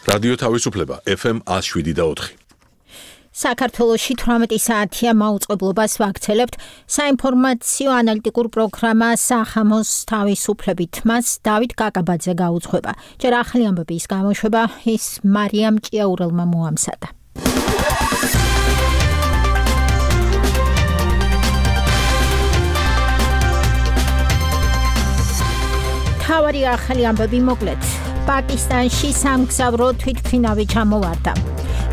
რადიო თავისუფლება FM 107.4. საქართველოში 18 საათია მაუწყებლობას ვაქცელებთ. საინფორმაციო ანალიტიკურ პროგრამა სახამოს თავისუფლებით მას დავით კაკაბაძე გაუძღვება. ჯერ ახალი ამბების გამოშვება ის მარიამ ჭიაურელმა მოამზადა. თავარი ახალი ამბები მოკლედ. პაკისტანში სამგზავრო თვითმფრინავი ჩამოვარდა.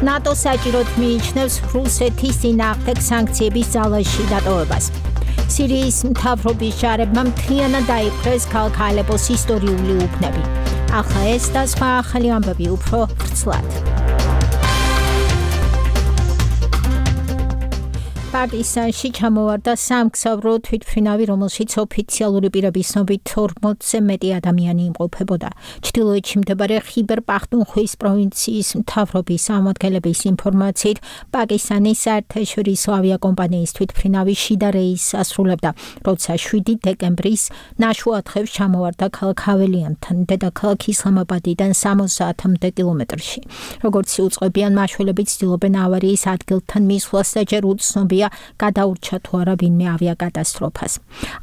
ნატო საჭიროდ მიიჩნევს რუსეთის წინააღმდეგ სანქციების ძალაში დატოვებას. სირიის მთავრობის ჯარებმა მთლიანად დაიპყრეს ქალაქ ალეპოს ისტორიული უბნები. ახლა ეს და სხვა ახალი ამბები უფრო ვრცლად. პაკისტანში ჩამოვარდა სამგზავრო თვითმფრინავი, რომელშიც ოფიციალური პირების ცნობით 40-ზე მეტი ადამიანი იმყოფებოდა. ჩრდილოეთში მდებარე ხიბერ პახტუნხვის პროვინციის მთავრობის წარმომადგენლების ინფორმაციით, პაკისტანის საერთაშორისო ავიაკომპანიის თვითმფრინავი შიდა რეისს ასრულებდა, როცა 7 დეკემბრის ნაშუადღებს ჩამოვარდა ქალაქ ჰაველიანთან, დედაქალაქ ისლამაბადიდან 60-მდე კილომეტრში. როგორც იუწყებიან, მაშველები ცდილობენ ავარიის ადგილთან მისვლას და ჯერ უცნობია გადაურჩა თუ არა ვინმე ავიაკატასტროფას.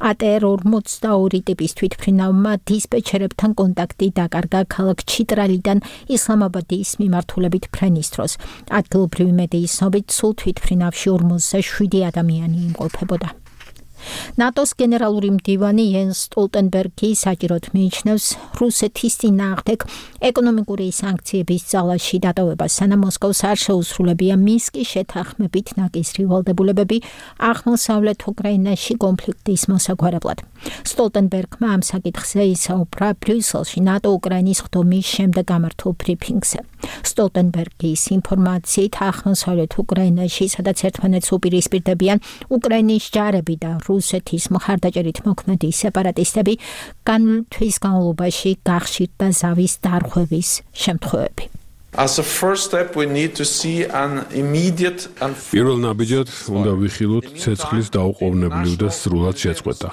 ATR-42 ტიპის თვითმფრინავმა დისპეჩერებთან კონტაქტი დაკარგა ქალაქ ჩიტრალიდან ისლამაბადის მიმართულებით ფრენის დროს. ადგილობრივი მედიის ცნობით, სულ თვითმფრინავში 47 ადამიანი იმყოფებოდა. ნატოს გენერალური მდივანი იენს სტოლტენბერგი საჭიროდ მიიჩნევს რუსეთის წინააღმდეგ ეკონომიკური სანქციების ძალაში დატოვებას, სანამ მოსკოვს არ შეუსრულებია მინსკის შეთანხმებით ნაკისრი ვალდებულებები აღმოსავლეთ უკრაინაში კონფლიქტის მოსაგვარებლად. სტოლტენბერგმა ამ საკითხზე ისაუბრა ბრიუსელში ნატო უკრაინის ხდომის შემდეგ გამართულ ბრიფინგზე. სტოლტენბერგის ინფორმაციით, აღმოსავლეთ უკრაინაში, სადაც ერთმანეთს უპირისპირდებიან უკრაინის ჯარები და რუსეთის მხარდაჭერით მოქმედი სეპარატისტები, განმავლობის განმავლობაში გახშირდა ზავის დარღვევის შემთხვევები. პირველ ნაბიჯად უნდა ვიხილოთ ცეცხლის დაუყოვნებლივ და სრულად შეწყვეტა.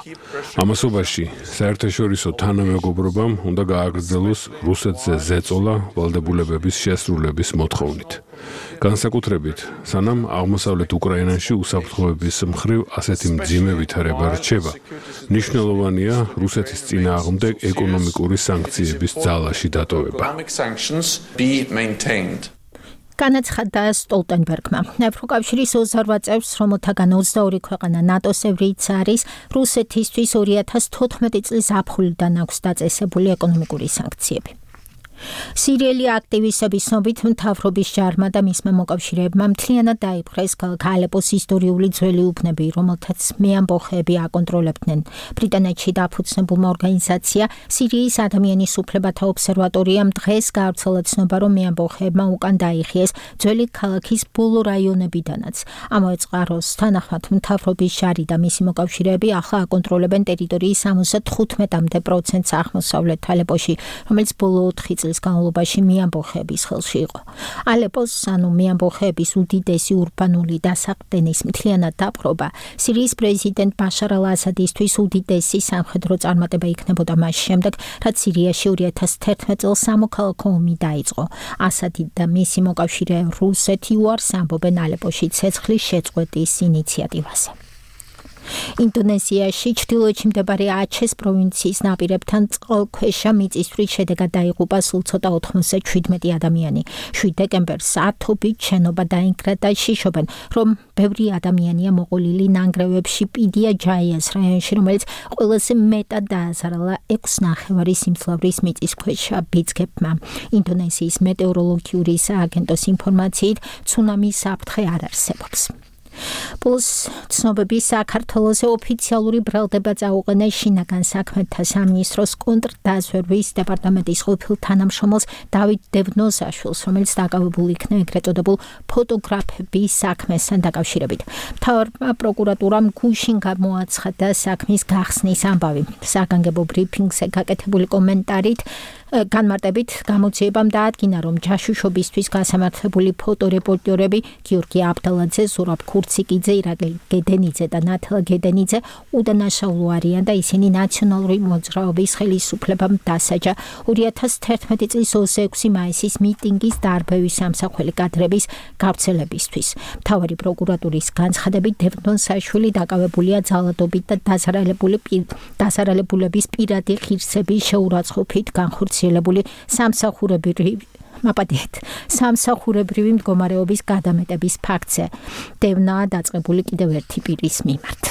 ამასობაში საერთაშორისო თანამეგობრობამ უნდა გააგრძელოს რუსეთზე ზეწოლა ვალდებულებების შესრულების მოთხოვნით. განსაკუთრებით, სანამ აღმოსავლეთ უკრაინაში უსაფრთხოების მხრივ ასეთი მძიმე ვითარება რჩება, მნიშვნელოვანია რუსეთის წინააღმდეგ ეკონომიკური სანქციების ძალაში დატოვება. განაცხადა სტოლტენბერგმა. ევროკავშირის 28 წევრს, რომელთაგან 22 ქვეყანა ნატოს წევრიც არის, რუსეთისთვის 2014 წლის აპრილიდან აქვს დაწესებული ეკონომიკური სანქციები. სირიელი აქტივისტების ცნობით, მთავრობის ჯარმა და მისმა მოკავშირეებმა მთლიანად დაიპყრეს ქალაქ ალეპოს ისტორიული ძველი უბნები, რომელთაც მეამბოხეები აკონტროლებდნენ. ბრიტანეთში დაფუძნებულმა ორგანიზაცია სირიის ადამიანის უფლებათა ობსერვატორიამ დღეს გაავრცელა ცნობა, რომ მეამბოხეებმა უკან დაიხიეს ძველი ქალაქის ბოლო რაიონებიდანაც. ამავე წყაროს თანახმად, მთავრობის ჯარი და მისი მოკავშირეები ახლა აკონტროლებენ ტერიტორიის 75%-ს აღმოსავლეთ ალეპოში, რომელიც ბოლო 4 წლის განმავლობაში მეამბოხეების ხელში იყო. ალეპოს, ანუ მეამბოხეების უდიდესი ურბანული დასაყრდენის მთლიანად დაპყრობა სირიის პრეზიდენტ ბაშარ ალ-ასადისთვის უდიდესი სამხედრო წარმატება იქნებოდა მას შემდეგ, რაც სირიაში 2011 წელს სამოქალაქო ომი დაიწყო. ასადი და მისი მოკავშირე რუსეთი უარს ამბობენ ალეპოში ცეცხლის შეწყვეტის ინიციატივაზე. ინდონეზიაში ჩრდილოეთში მდებარე აჩეს პროვინციის ნაპირებთან წყალქვეშა მიწისძვრის შედეგად დაიღუპა სულ ცოტა 97 ადამიანი. 7 დეკემბერს ათობით შენობა დაინგრა და შიშობენ, რომ ბევრი ადამიანია მოყოლილი ნანგრევებში პიდია ჯაიას რაიონში, რომელიც ყველაზე მეტად დააზარალა 6.5 სიმძლავრის მიწისქვეშა ბიძგებმა. ინდონეზიის მეტეოროლოგიური სააგენტოს ინფორმაციით, ცუნამის საფრთხე არ არსებობს. Plus ცნობები საქართველოს ოფიციალური ბრალდება წაუყენეს შინაგან საქმეთა სამინისტროს კონტრდაზვერვის დეპარტამენტის ყოფილ თანამშრომელს დავით დევნოზაშვილს, რომელიც დაკავებული იქნა ეგრეთ წოდებულ ფოტოგრაფების საქმესთან დაკავშირებით. მთავრობა პროკურატურამ გუშინ გამოაცხადა საქმის გახსნის ამბავი. საგანგებო ბრიფინგზე გაკეთებული კომენტარით განმარტებით გამოძიებამ დაადგინა, რომ ჯაშუშობისთვის გასამართლებული ფოტორეპორტერები გიორგი აბდალაძე, ზურაბ ქურციკიძე, ირაკლი გედენიძე და ნათლა გედენიძე უდანაშაულო არიან და ისინი ნაციონალური მოძრაობის ხელისუფლებამ დასაჯა 2011 წლის 26 მაისის მიტინგის დარბევის სამსახველი კადრების გავრცელებისთვის. მთავარი პროკურატურის განცხადებით დევდონ საშვილი დაკავებულია ძალადობით და დასარალებულების პირადი ღირსების შეურაცხყოფით განხორციელებული სამსახურებრივი მდგომარეობის გადამეტების ფაქტზე. დევნაა დაწყებული კიდევ ერთი პირის მიმართ.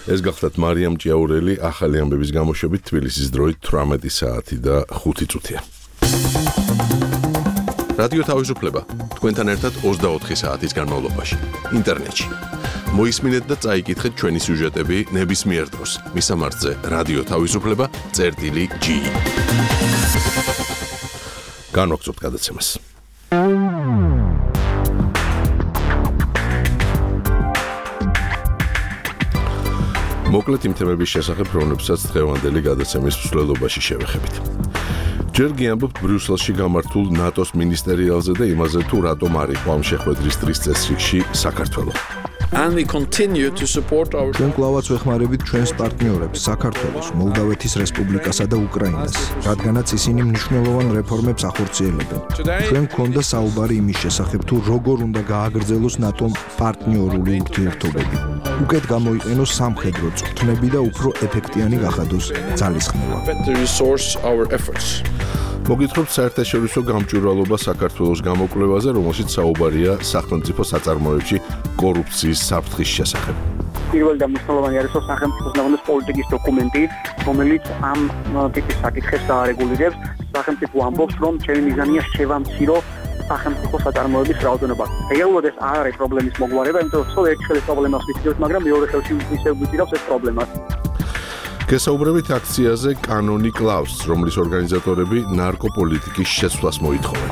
ეს გახლავთ მარიამ ჭიაურელი ახალი ამბების გამოშვებით თბილისის დროით 18 საათი და 5 წუთია. რადიო თავისუფლება თქვენთან ერთად 24 საათის განმავლობაში ინტერნეტში. მოისმინეთ და წაიკითხეთ ჩვენი სიუჟეტები ნებისმიერ დროს. მისამართზე რადიო თავისუფლება წერტილი.g. განვაგრძობთ გადაცემას. მოკლედ იმ თემების შესახებ, რომლებსაც დღევანდელი გადაცემის მსვლელობაში შევეხებით. ჯერ გიამბობთ ბრიუსელში გამართულ ნატოს მინისტერიალზე და იმაზე, თუ რატომ არ იყო ამ შეხვედრის დღის წესრიგში საქართველო. And we continue to support our ჩვენ კვლავაც ვეხმარებით ჩვენს პარტნიორებს საქართველოს, მოლდავეთის რესპუბლიკასა და უკრაინას, რადგანაც ისინი მნიშვნელოვან რეფორმებს ახორციელებენ. ჩვენ გქონდა საუბარი იმის შესახებ, თუ როგორ უნდა გააგრძელოს ნატომ პარტნიორული ურთიერთობები. უკეთ გამოიყენოს სამხედრო წვრთნები და უფრო ეფექტიანი გახადოს ძალისხმევა. მოგითხრობთ საერთაშორისო გამჭვირვალობა საქართველოს გამოკვლევაზე, რომელშიც საუბარია სახელმწიფო საწარმოებში კორუფციის საფრთხის შესახებ. პირველი და მნიშვნელოვანი არის სახელმწიფოს ნორმის პოლიტიკის დოკუმენტი, რომელიც ამ ტიპის საკითხებს დაარეგულირებს. სახელმწიფო ამბობს, რომ ჩემი მიზანია შევამცირო სახელმწიფო საწარმოების რაოდენობა. რეალურად ეს არ არის პრობლემის მოგვარება, იმიტომ რომ ერთ ხელის პრობლემას ვიცით, მაგრამ მეორე ხელში ისევ ვიცით ეს პრობლემას. გესაუბრებით აქციაზე კანონი კლავს, რომლის ორგანიზატორები ნარკოპოლიტიკის შეცვლას მოითხოვენ.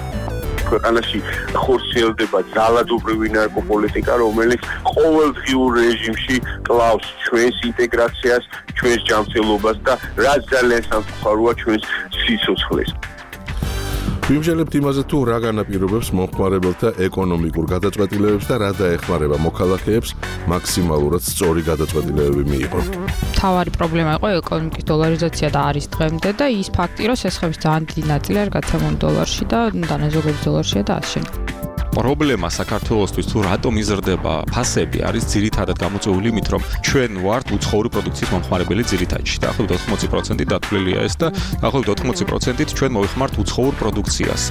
ქვეყანაში ხორციელდება ძალადობრივი ნარკოპოლიტიკა, რომელიც ყოველდღიურ რეჟიმში კლავს ჩვენს ინტეგრაციას, ჩვენს ჯანმრთელობას და რაც ძალიან სამწუხაროა ჩვენს სიცოცხლეს. ვიმჟელებთ იმაზე, თუ რა განაპირობებს მომხმარებელთა ეკონომიკურ გადაწყვეტილებებს და რა დაეხმარება მოქალაქეებს მაქსიმალურად სწორი გადაწყვეტილებები მიიღონ. მთავარი პრობლემა იყო ეკონომიკის დოლარიზაცია და არის დღემდე და ის ფაქტი, რომ შესხების ძალიან დიდი ნაწილი არის გაცემული დოლარში და დანაზოგების დოლარშია და ასე შემდეგ. პრობლემა საქართველოსთვის თუ რატომ იზრდება ფასები არის ძირითადად გამოწვეული იმით, რომ ჩვენ ვართ უცხოური პროდუქციის მომხმარებელი ძირითადში. დაახლოებით 80% დათვლილია ეს და დაახლოებით 80%-ით ჩვენ მოვიხმართ უცხოურ პროდუქციას.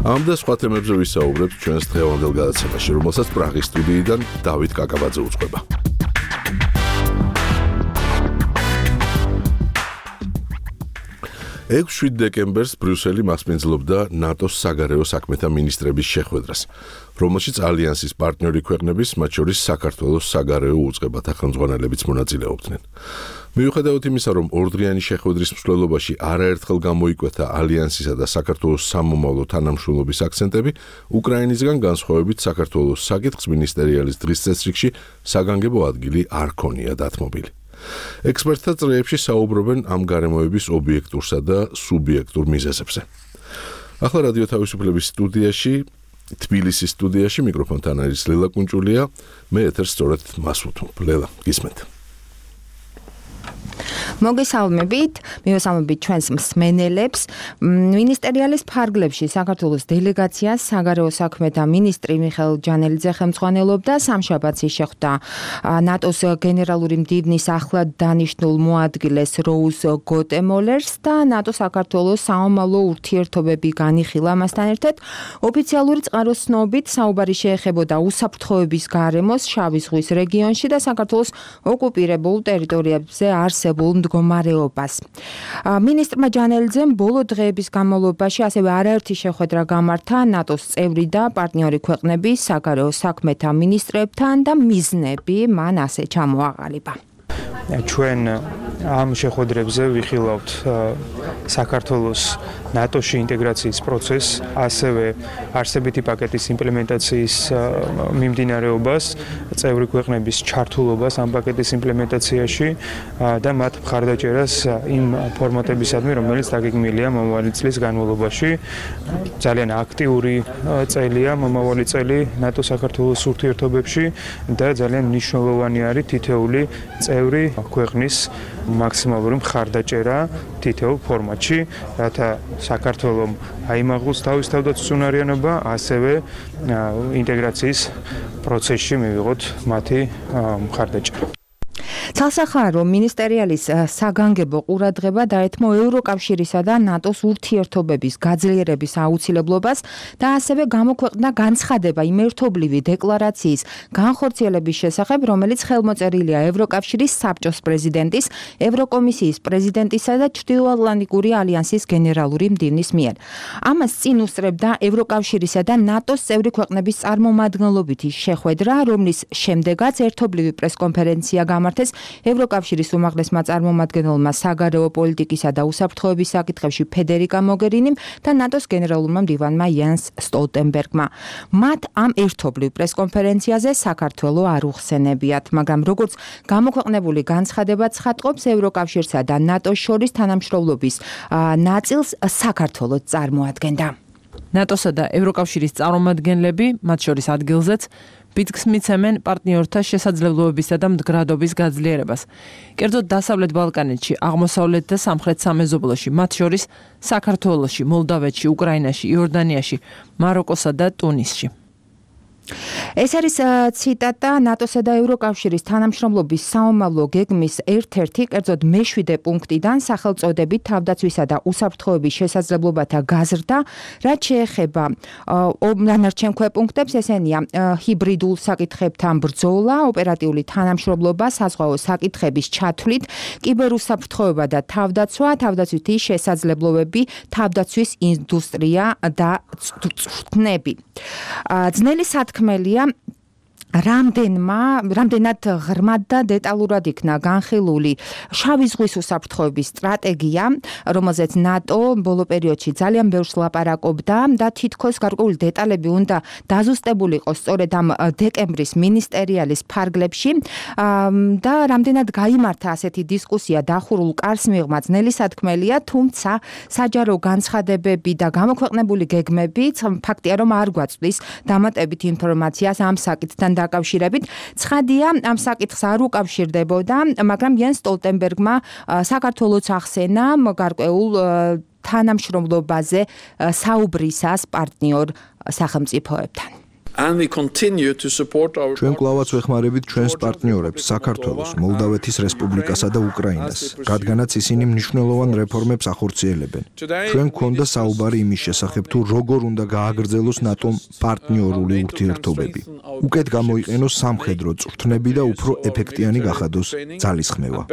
ამ და სხვა თემებზე ვისაუბრებთ ჩვენს დღევანდელ გადაცემაში, რომელსაც პრაღის სტუდიიდან დავით კაკაბაძე უწყება. 6 დეკემბერს ბრიუსელი მასპინძლობდა ნატოს საგარეო საქმეთა მინისტრების შეხვედრას, რომელშიც ალიანსის პარტნიორი ქვეყნების, მათ შორის საქართველოს საგარეო უწყებათა ხელმძღვანელებიც მონაწილეობდნენ. მიუხედავად იმისა, რომ ორდღიანი შეხვედრის მსვლელობაში არაერთხელ გამოიკვეთა ალიანსისა და საქართველოს სამომავლო თანამშრომლობის აქცენტები, უკრაინისგან განსხვავებით საქართველოს საკითხს მინისტერიალის დღის წესრიგში საგანგებო ადგილი არ ქონია დათმობილი. ექსპერტთა წრეებში საუბრობენ ამ გარემოების ობიექტურსა და სუბიექტურ მიზეზებზე. ახლა რადიო თავისუფლების სტუდიაში, თბილისის სტუდიაში მიკროფონთან არის ლელა კუნჭულია, მე ეთერს სწორედ მას ვუთმობ. ლელა, გისმენთ. მოგესალმებით, მივესალმებით ჩვენს მსმენელებს. მინისტერიალის ფარგლებში საქართველოს დელეგაციას საგარეო საქმეთა მინისტრი მიხეილ ჯანელიძე ხელმძღვანელობდა. სამშაბათს შეხვდა ნატოს გენერალური მდივნის ახლად დანიშნულ მოადგილეს როუზ გოტემოლერს და ნატო-საქართველოს საომავლო ურთიერთობები განიხილა. მასთან ერთად ოფიციალური წყაროს ცნობით საუბარი შეეხებოდა უსაფრთხოების გარემოს შავი ზღვის რეგიონში და საქართველოს ოკუპირებულ ტერიტორიებზე არსებულ მდგომარეობას. მინისტრმა ჯანელიძემ ბოლო დღეების განმავლობაში ასევე არაერთი შეხვედრა გამართა ნატოს წევრი და პარტნიორი ქვეყნების საგარეო საქმეთა მინისტრებთან და მიზნები მან ასე ჩამოაყალიბა. ჩვენ ამ შეხვედრებზე ვიხილავთ საქართველოს ნატოში ინტეგრაციის პროცესს, ასევე არსებითი პაკეტის იმპლემენტაციის მიმდინარეობას, წევრი ქვეყნების ჩართულობას ამ პაკეტის იმპლემენტაციაში და მათ მხარდაჭერას იმ ფორმატებისადმი, რომელიც დაგეგმილია მომავალი წლის განმავლობაში. ძალიან აქტიური წელია მომავალი წელი ნატო-საქართველოს ურთიერთობებში და ძალიან მნიშვნელოვანი არის თითეული წევრი ქვეყნის მაქსიმალური მხარდაჭერა თითოეულ ფორმატში, რათა საქართველოს აიმაღლოს თავის თავდაცვისუნარიანობა, ასევე ინტეგრაციის პროცესში მივიღოთ მათი მხარდაჭერა. ცალსახარო მინისტერიალის საგანგებო ყურადღება დაეთმო ევროკავშირისა და ნატოს ურთიერთობების გაძლიერების აუცილებლობას და ასევე გამოქვეყნდა განცხადება იმ ერთობლივი დეკლარაციის განხორციელების შესახებ, რომელიც ხელმოწერილია ევროკავშირის საბჭოს პრეზიდენტის, ევროკომისიის პრეზიდენტისა და ჩრდილოატლანტიკური ალიანსის გენერალური მდივნის მიერ. ამას წინ უსწრებდა ევროკავშირისა და ნატოს წევრი ქვეყნების წარმომადგენლობითი შეხვედრა, რომლის შემდეგაც ერთობლივი პრესკონფერენცია გამართეს ევროკავშირის უმაღლესმა წარმომადგენელმა საგარეო პოლიტიკისა და უსაფრთხოების საკითხებში ფედერიკა მოგერინიმ და ნატოს გენერალურმა მდივანმა იანს სტოლტენბერგმა. მათ ამ ერთობლივ პრესკონფერენციაზე საქართველოს არ უხსენებიათ, მაგრამ როგორც გამოქვეყნებული განცხადება ცხადყოფს, ევროკავშირსა და ნატოს შორის თანამშრომლობის ნაწილს საქართველოს წარმოადგენდა. ნატოსა და ევროკავშირის წარმომადგენლები, მათ შორის ადგილზეც, პიტკს მიცემენ პარტნიორთა შესაძლებლობებისა და მდგრადობის გაძლიერებას. კერძოდ დასავლეთ ბალკანეთში, აღმოსავლეთ და სამხრეთ სამეზობლოში, მათ შორის საქართველოში, მოლდავეთში, უკრაინაში, იორდანიაში, მაროკოსა და ტუნისში. ეს არის ციტატა ნატოსა და ევროკავშირის თანამშრომლობის საომავლო გეგმის ერთ-ერთი, კერძოდ მე-7 პუნქტიდან სახელწოდებით თავდაცვისა და უსაფრთხოების შესაძლებლობათა გაზრდა, რაც შეეხება დანარჩენ ქვეპუნქტებს, ესენია ჰიბრიდულ საკითხებთან ბრძოლა, ოპერატიული თანამშრომლობა, საზღვაო საკითხების ჩათვლით, კიბერუსაფრთხოება და თავდაცვა, თავდაცვითი შესაძლებლობები, თავდაცვის ინდუსტრია და წვრთნები. ძნელი სათქმელია რამდენად ღრმად და დეტალურად იქნა განხილული შავი ზღვის უსაფრთხოების სტრატეგია, რომელზეც ნატო ბოლო პერიოდში ძალიან ბევრს ლაპარაკობდა და თითქოს გარკვეული დეტალები უნდა დაზუსტებულიყო სწორედ ამ დეკემბრის მინისტერიალის ფარგლებში და რამდენად გაიმართა ასეთი დისკუსია დახურულ კარს მიღმა ძნელი სათქმელია, თუმცა საჯარო განცხადებები და გამოქვეყნებული გეგმები ფაქტია, რომ არ გვაწვდის დამატებით ინფორმაციას ამ საკითხთან დაკავშირებით. ცხადია, ამ საკითხს არ უკავშირდებოდა, მაგრამ იანს სტოლტენბერგმა საქართველოს ახსენა გარკვეულ თანამშრომლობაზე საუბრისას პარტნიორ სახელმწიფოებთან. ჩვენ კვლავაც ვეხმარებით ჩვენს პარტნიორებს საქართველოს, მოლდავეთის რესპუბლიკასა და უკრაინას, რადგანაც ისინი მნიშვნელოვან რეფორმებს ახორციელებენ. ჩვენ გქონდა საუბარი იმის შესახებ, თუ როგორ უნდა გააგრძელოს ნატომ პარტნიორული ურთიერთობები. უკეთ გამოიყენოს სამხედრო წვრთნები და უფრო ეფექტიანი გახადოს ძალისხმევა.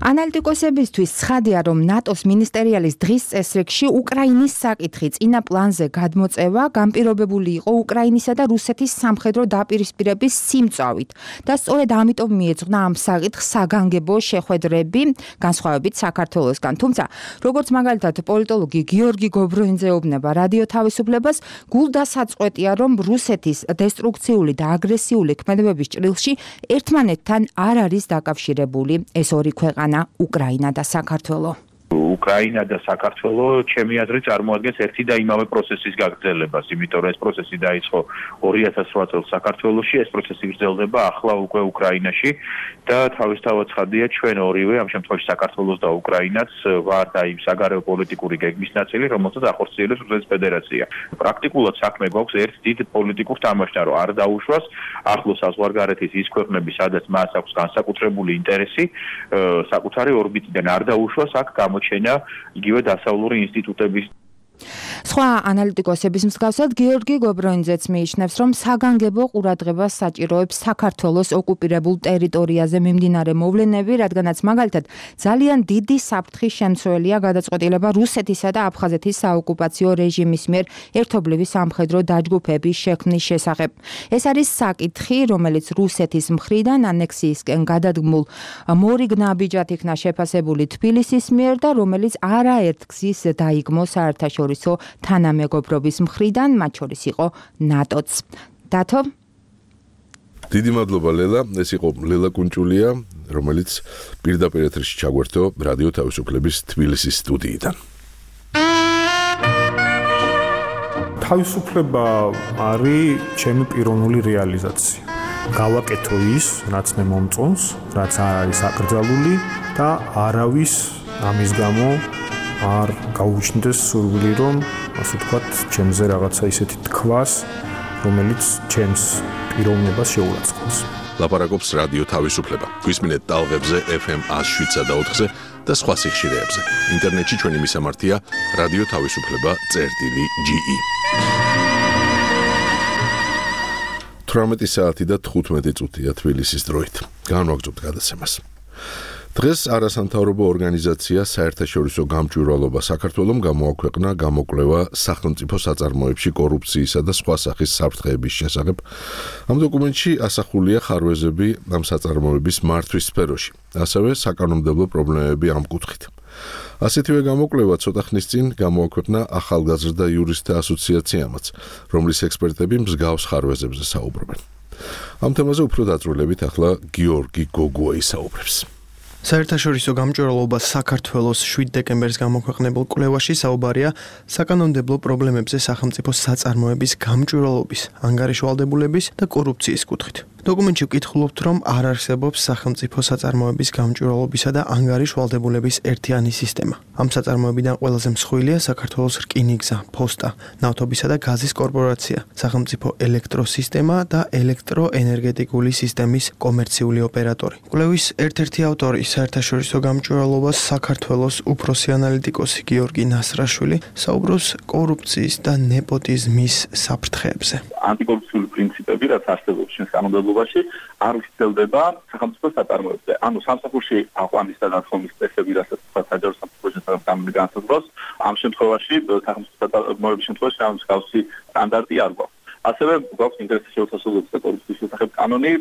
ანალიტიკოსებისთვის ცხადია, რომ ნატოს მინისტერიალის დღის წესრიგში უკრაინის საკითხი წინა პლანზე გადმოწევა განპირობებული იყო უკრაინისა და რუსეთის სამხედრო დაპირისპირების სიმწავით და სწორედ ამიტომ მიეძღვნა ამ საკითხს საგანგებო შეხვედრები განსხვავებით საქართველოსგან. თუმცა, როგორც მაგალითად პოლიტოლოგი გიორგი გობროინძე ეუბნება რადიო თავისუფლებას, გულდასაწყვეტია, რომ რუსეთის დესტრუქციული და აგრესიული ქმედებების ჭრილში ერთმანეთთან არ არის დაკავშირებული ეს ორი ქვეყანა, უკრაინა და საქართველო. უკრაინა და საქართველო ჩემი აზრით წარმოადგენს ერთი და იმავე პროცესის გაგრძელებას, იმიტომ რომ ეს პროცესი დაიწყო 2008 წელს საქართველოში, ეს პროცესი გრძელდება ახლა უკვე უკრაინაში და თავისთავად ცხადია ჩვენ ორივე, ამ შემთხვევაში საქართველოს და უკრაინაც ვართ აი საგარეო პოლიტიკური გეგმის ნაწილი, რომელსაც ახორციელებს რუსეთის ფედერაცია. პრაქტიკულად საქმე გვაქვს ერთ დიდ პოლიტიკურ თამაშთან, რომ არ დაუშვას ახლოს საზღვარგარეთის ის ქვეყნები, სადაც მას აქვს განსაკუთრებული ინტერესი, საკუთარი ორბიტიდან არ დაუშვას აქ გამოჩენა იგივე დასავლური ინსტიტუტების სხვა ანალიტიკოსების მსგავსად გიორგი გობროინძეც მიიჩნევს, რომ საგანგებო ყურადღებას საჭიროებს საქართველოს ოკუპირებულ ტერიტორიაზე მიმდინარე მოვლენები, რადგანაც მაგალითად ძალიან დიდი საფრთხის შემცველია გადაწყვეტილება რუსეთისა და აფხაზეთის საოკუპაციო რეჟიმის მიერ ერთობლივი სამხედრო დაჯგუფების შექმნის შესახებ. ეს არის საკითხი, რომელიც რუსეთის მხრიდან ანექსიისკენ გადადგმულ მორიგ ნაბიჯად იქნა შეფასებული თბილისის მიერ და რომელიც არაერთ გზის დაიგმო საერთაშორისო თანამეგობრობის მხრიდან, მათ შორის იყო ნატოც. დათო? დიდი მადლობა ლელა, ეს იყო ლელა კუნჭულია, რომელიც პირდაპირ ეთერში ჩაგვერთო რადიო თავისუფლების თბილისის სტუდიიდან. თავისუფლება არის ჩემი პიროვნული რეალიზაცია. გავაკეთო ის, რაც მე მომწონს, რაც არ არის აკრძალული და არავის ამის გამო არ გაუჩნდეს სურვილი, რომ ასე ვთქვათ, ჩემზე რაღაცა ისეთი თქვას, რომელიც ჩემს პიროვნებას შეურაცხყოფს. ლაპარაკობს რადიო თავისუფლება. გვისმინეთ ტალღებზე FM 107.4-ზე და სხვა სიხშირეებზე. ინტერნეტში ჩვენი მისამართია რადიო თავისუფლება.ge. 18 საათი და 15 წუთია თბილისის დროით. განვაგრძობთ გადაცემას. დღეს არასამთავრობო ორგანიზაცია საერთაშორისო გამჭვირვალობა საქართველომ გამოაქვეყნა გამოკვლევა სახელმწიფო საწარმოებში კორუფციისა და სხვა სახის საფრთხეების შესახებ. ამ დოკუმენტში ასახულია ხარვეზები ამ საწარმოების მართვის სფეროში, ასევე საკანონმდებლო პრობლემები ამ კუთხით. ასეთივე გამოკვლევა ცოტა ხნის წინ გამოაქვეყნა ახალგაზრდა იურისტთა ასოციაციამაც, რომლის ექსპერტები მსგავს ხარვეზებზე საუბრობენ. ამ თემაზე უფრო დაწვრილებით ახლა გიორგი გოგუა ისაუბრებს. საერთაშორისო გამჭვირვალობა საქართველოს 7 დეკემბერს გამოქვეყნებულ კვლევაში საუბარია საკანონმდებლო პრობლემებზე სახელმწიფო საწარმოების გამჭვირვალობის, ანგარიშვალდებულების და კორუფციის კუთხით. დოკუმენტში ვკითხულობთ, რომ არ არსებობს სახელმწიფო საწარმოების გამჭვირვალობისა და ანგარიშვალდებულების ერთიანი სისტემა. ამ საწარმოებიდან ყველაზე მსხვილია საქართველოს რკინიგზა, ფოსტა, ნავთობისა და გაზის კორპორაცია, სახელმწიფო ელექტროსისტემა და ელექტროენერგეტიკული სისტემის კომერციული ოპერატორი. კვლევის ერთ-ერთი ავტორი საერთაშორისო გამჭვირვალობას საქართველოს უფროსი ანალიტიკოსი გიორგი ნასრაშვილი საუბრობს კორუფციის და ნეპოტიზმის საფრთხეებზე. ანტიკორუფციული პრინციპები, რაც არსებობს ჩვენს კანონმდებლობაში, არ უსწრებდება სახელმწიფო საწარმოებზე. ანუ სამსახურში აყვანის და დათხოვნის წესები, რასაც საჯარო სამსახურში განსაზღვრავს განსაზღვრავს, ამ შემთხვევაში სახელმწიფო საწარმოების შემთხვევაში ამ მსგავსი სტანდარტი არ გვაქვს. ასევე გვაქვს ინტერესის შეუთასებლობის და კორუფციის შესახებ კანონი,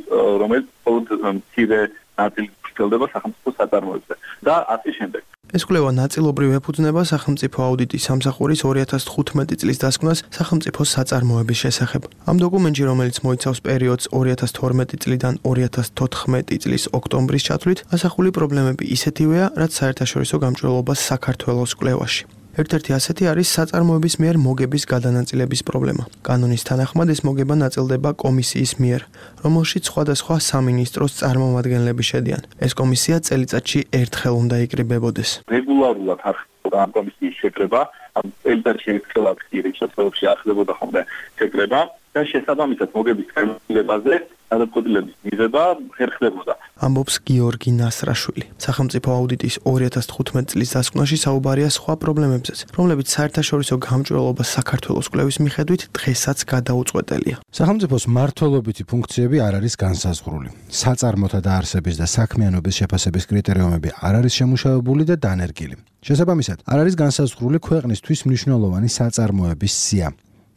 რომელიც მხოლოდ მცირე ნაწილით ვრცელდება სახელმწიფო საწარმოებზე და ასე შემდეგ. ეს კვლევა ნაწილობრივ ეფუძნება სახელმწიფო აუდიტის სამსახურის 2015 წლის დასკვნას სახელმწიფო საწარმოების შესახებ. ამ დოკუმენტში, რომელიც მოიცავს პერიოდს 2012 წლიდან 2014 წლის ოქტომბრის ჩათვლით, ასახული პრობლემები ისეთივეა, რაც საერთაშორისო გამჭვირვალობას საქართველოს კვლევაში. ერთ-ერთი ასეთი არის საწარმოების მიერ მოგების გადანაწილების პრობლემა. კანონის თანახმად ეს მოგება ნაწილდება კომისიის მიერ, რომელშიც სხვადასხვა სამინისტროს წარმომადგენლები შედიან. ეს კომისია წელიწადში ერთხელ უნდა იკრიბებოდეს. რეგულარულად არ ხდება ამ კომისიის შეკრება, ამ წელიწადში ერთხელ აქტიურია შესაძლებლობა ახდებოდა ხოლმე შეკრება და შესაბამისად მოგების განმარტებაზე გადაწყვეტილების მიღება ხერხდებოდა. ამბობს გიორგი ნასრაშვილი. სახელმწიფო აუდიტის 2015 წლის დასკვნაში საუბარია სხვა პრობლემებზეც, რომლებიც საერთაშორისო გამჭვირვალობას საქართველოს კვლევის მიხედვით დღესაც გადაუწყვეტელია. სახელმწიფოს მმართველობითი ფუნქციები არ არის განსაზღვრული. საწარმოთა დაარსების და საქმიანობის შეფასების კრიტერიუმები არ არის შემუშავებული და დანერგილი. შესაბამისად, არ არის განსაზღვრული ქვეყნისთვის მნიშვნელოვანი საწარმოების სია.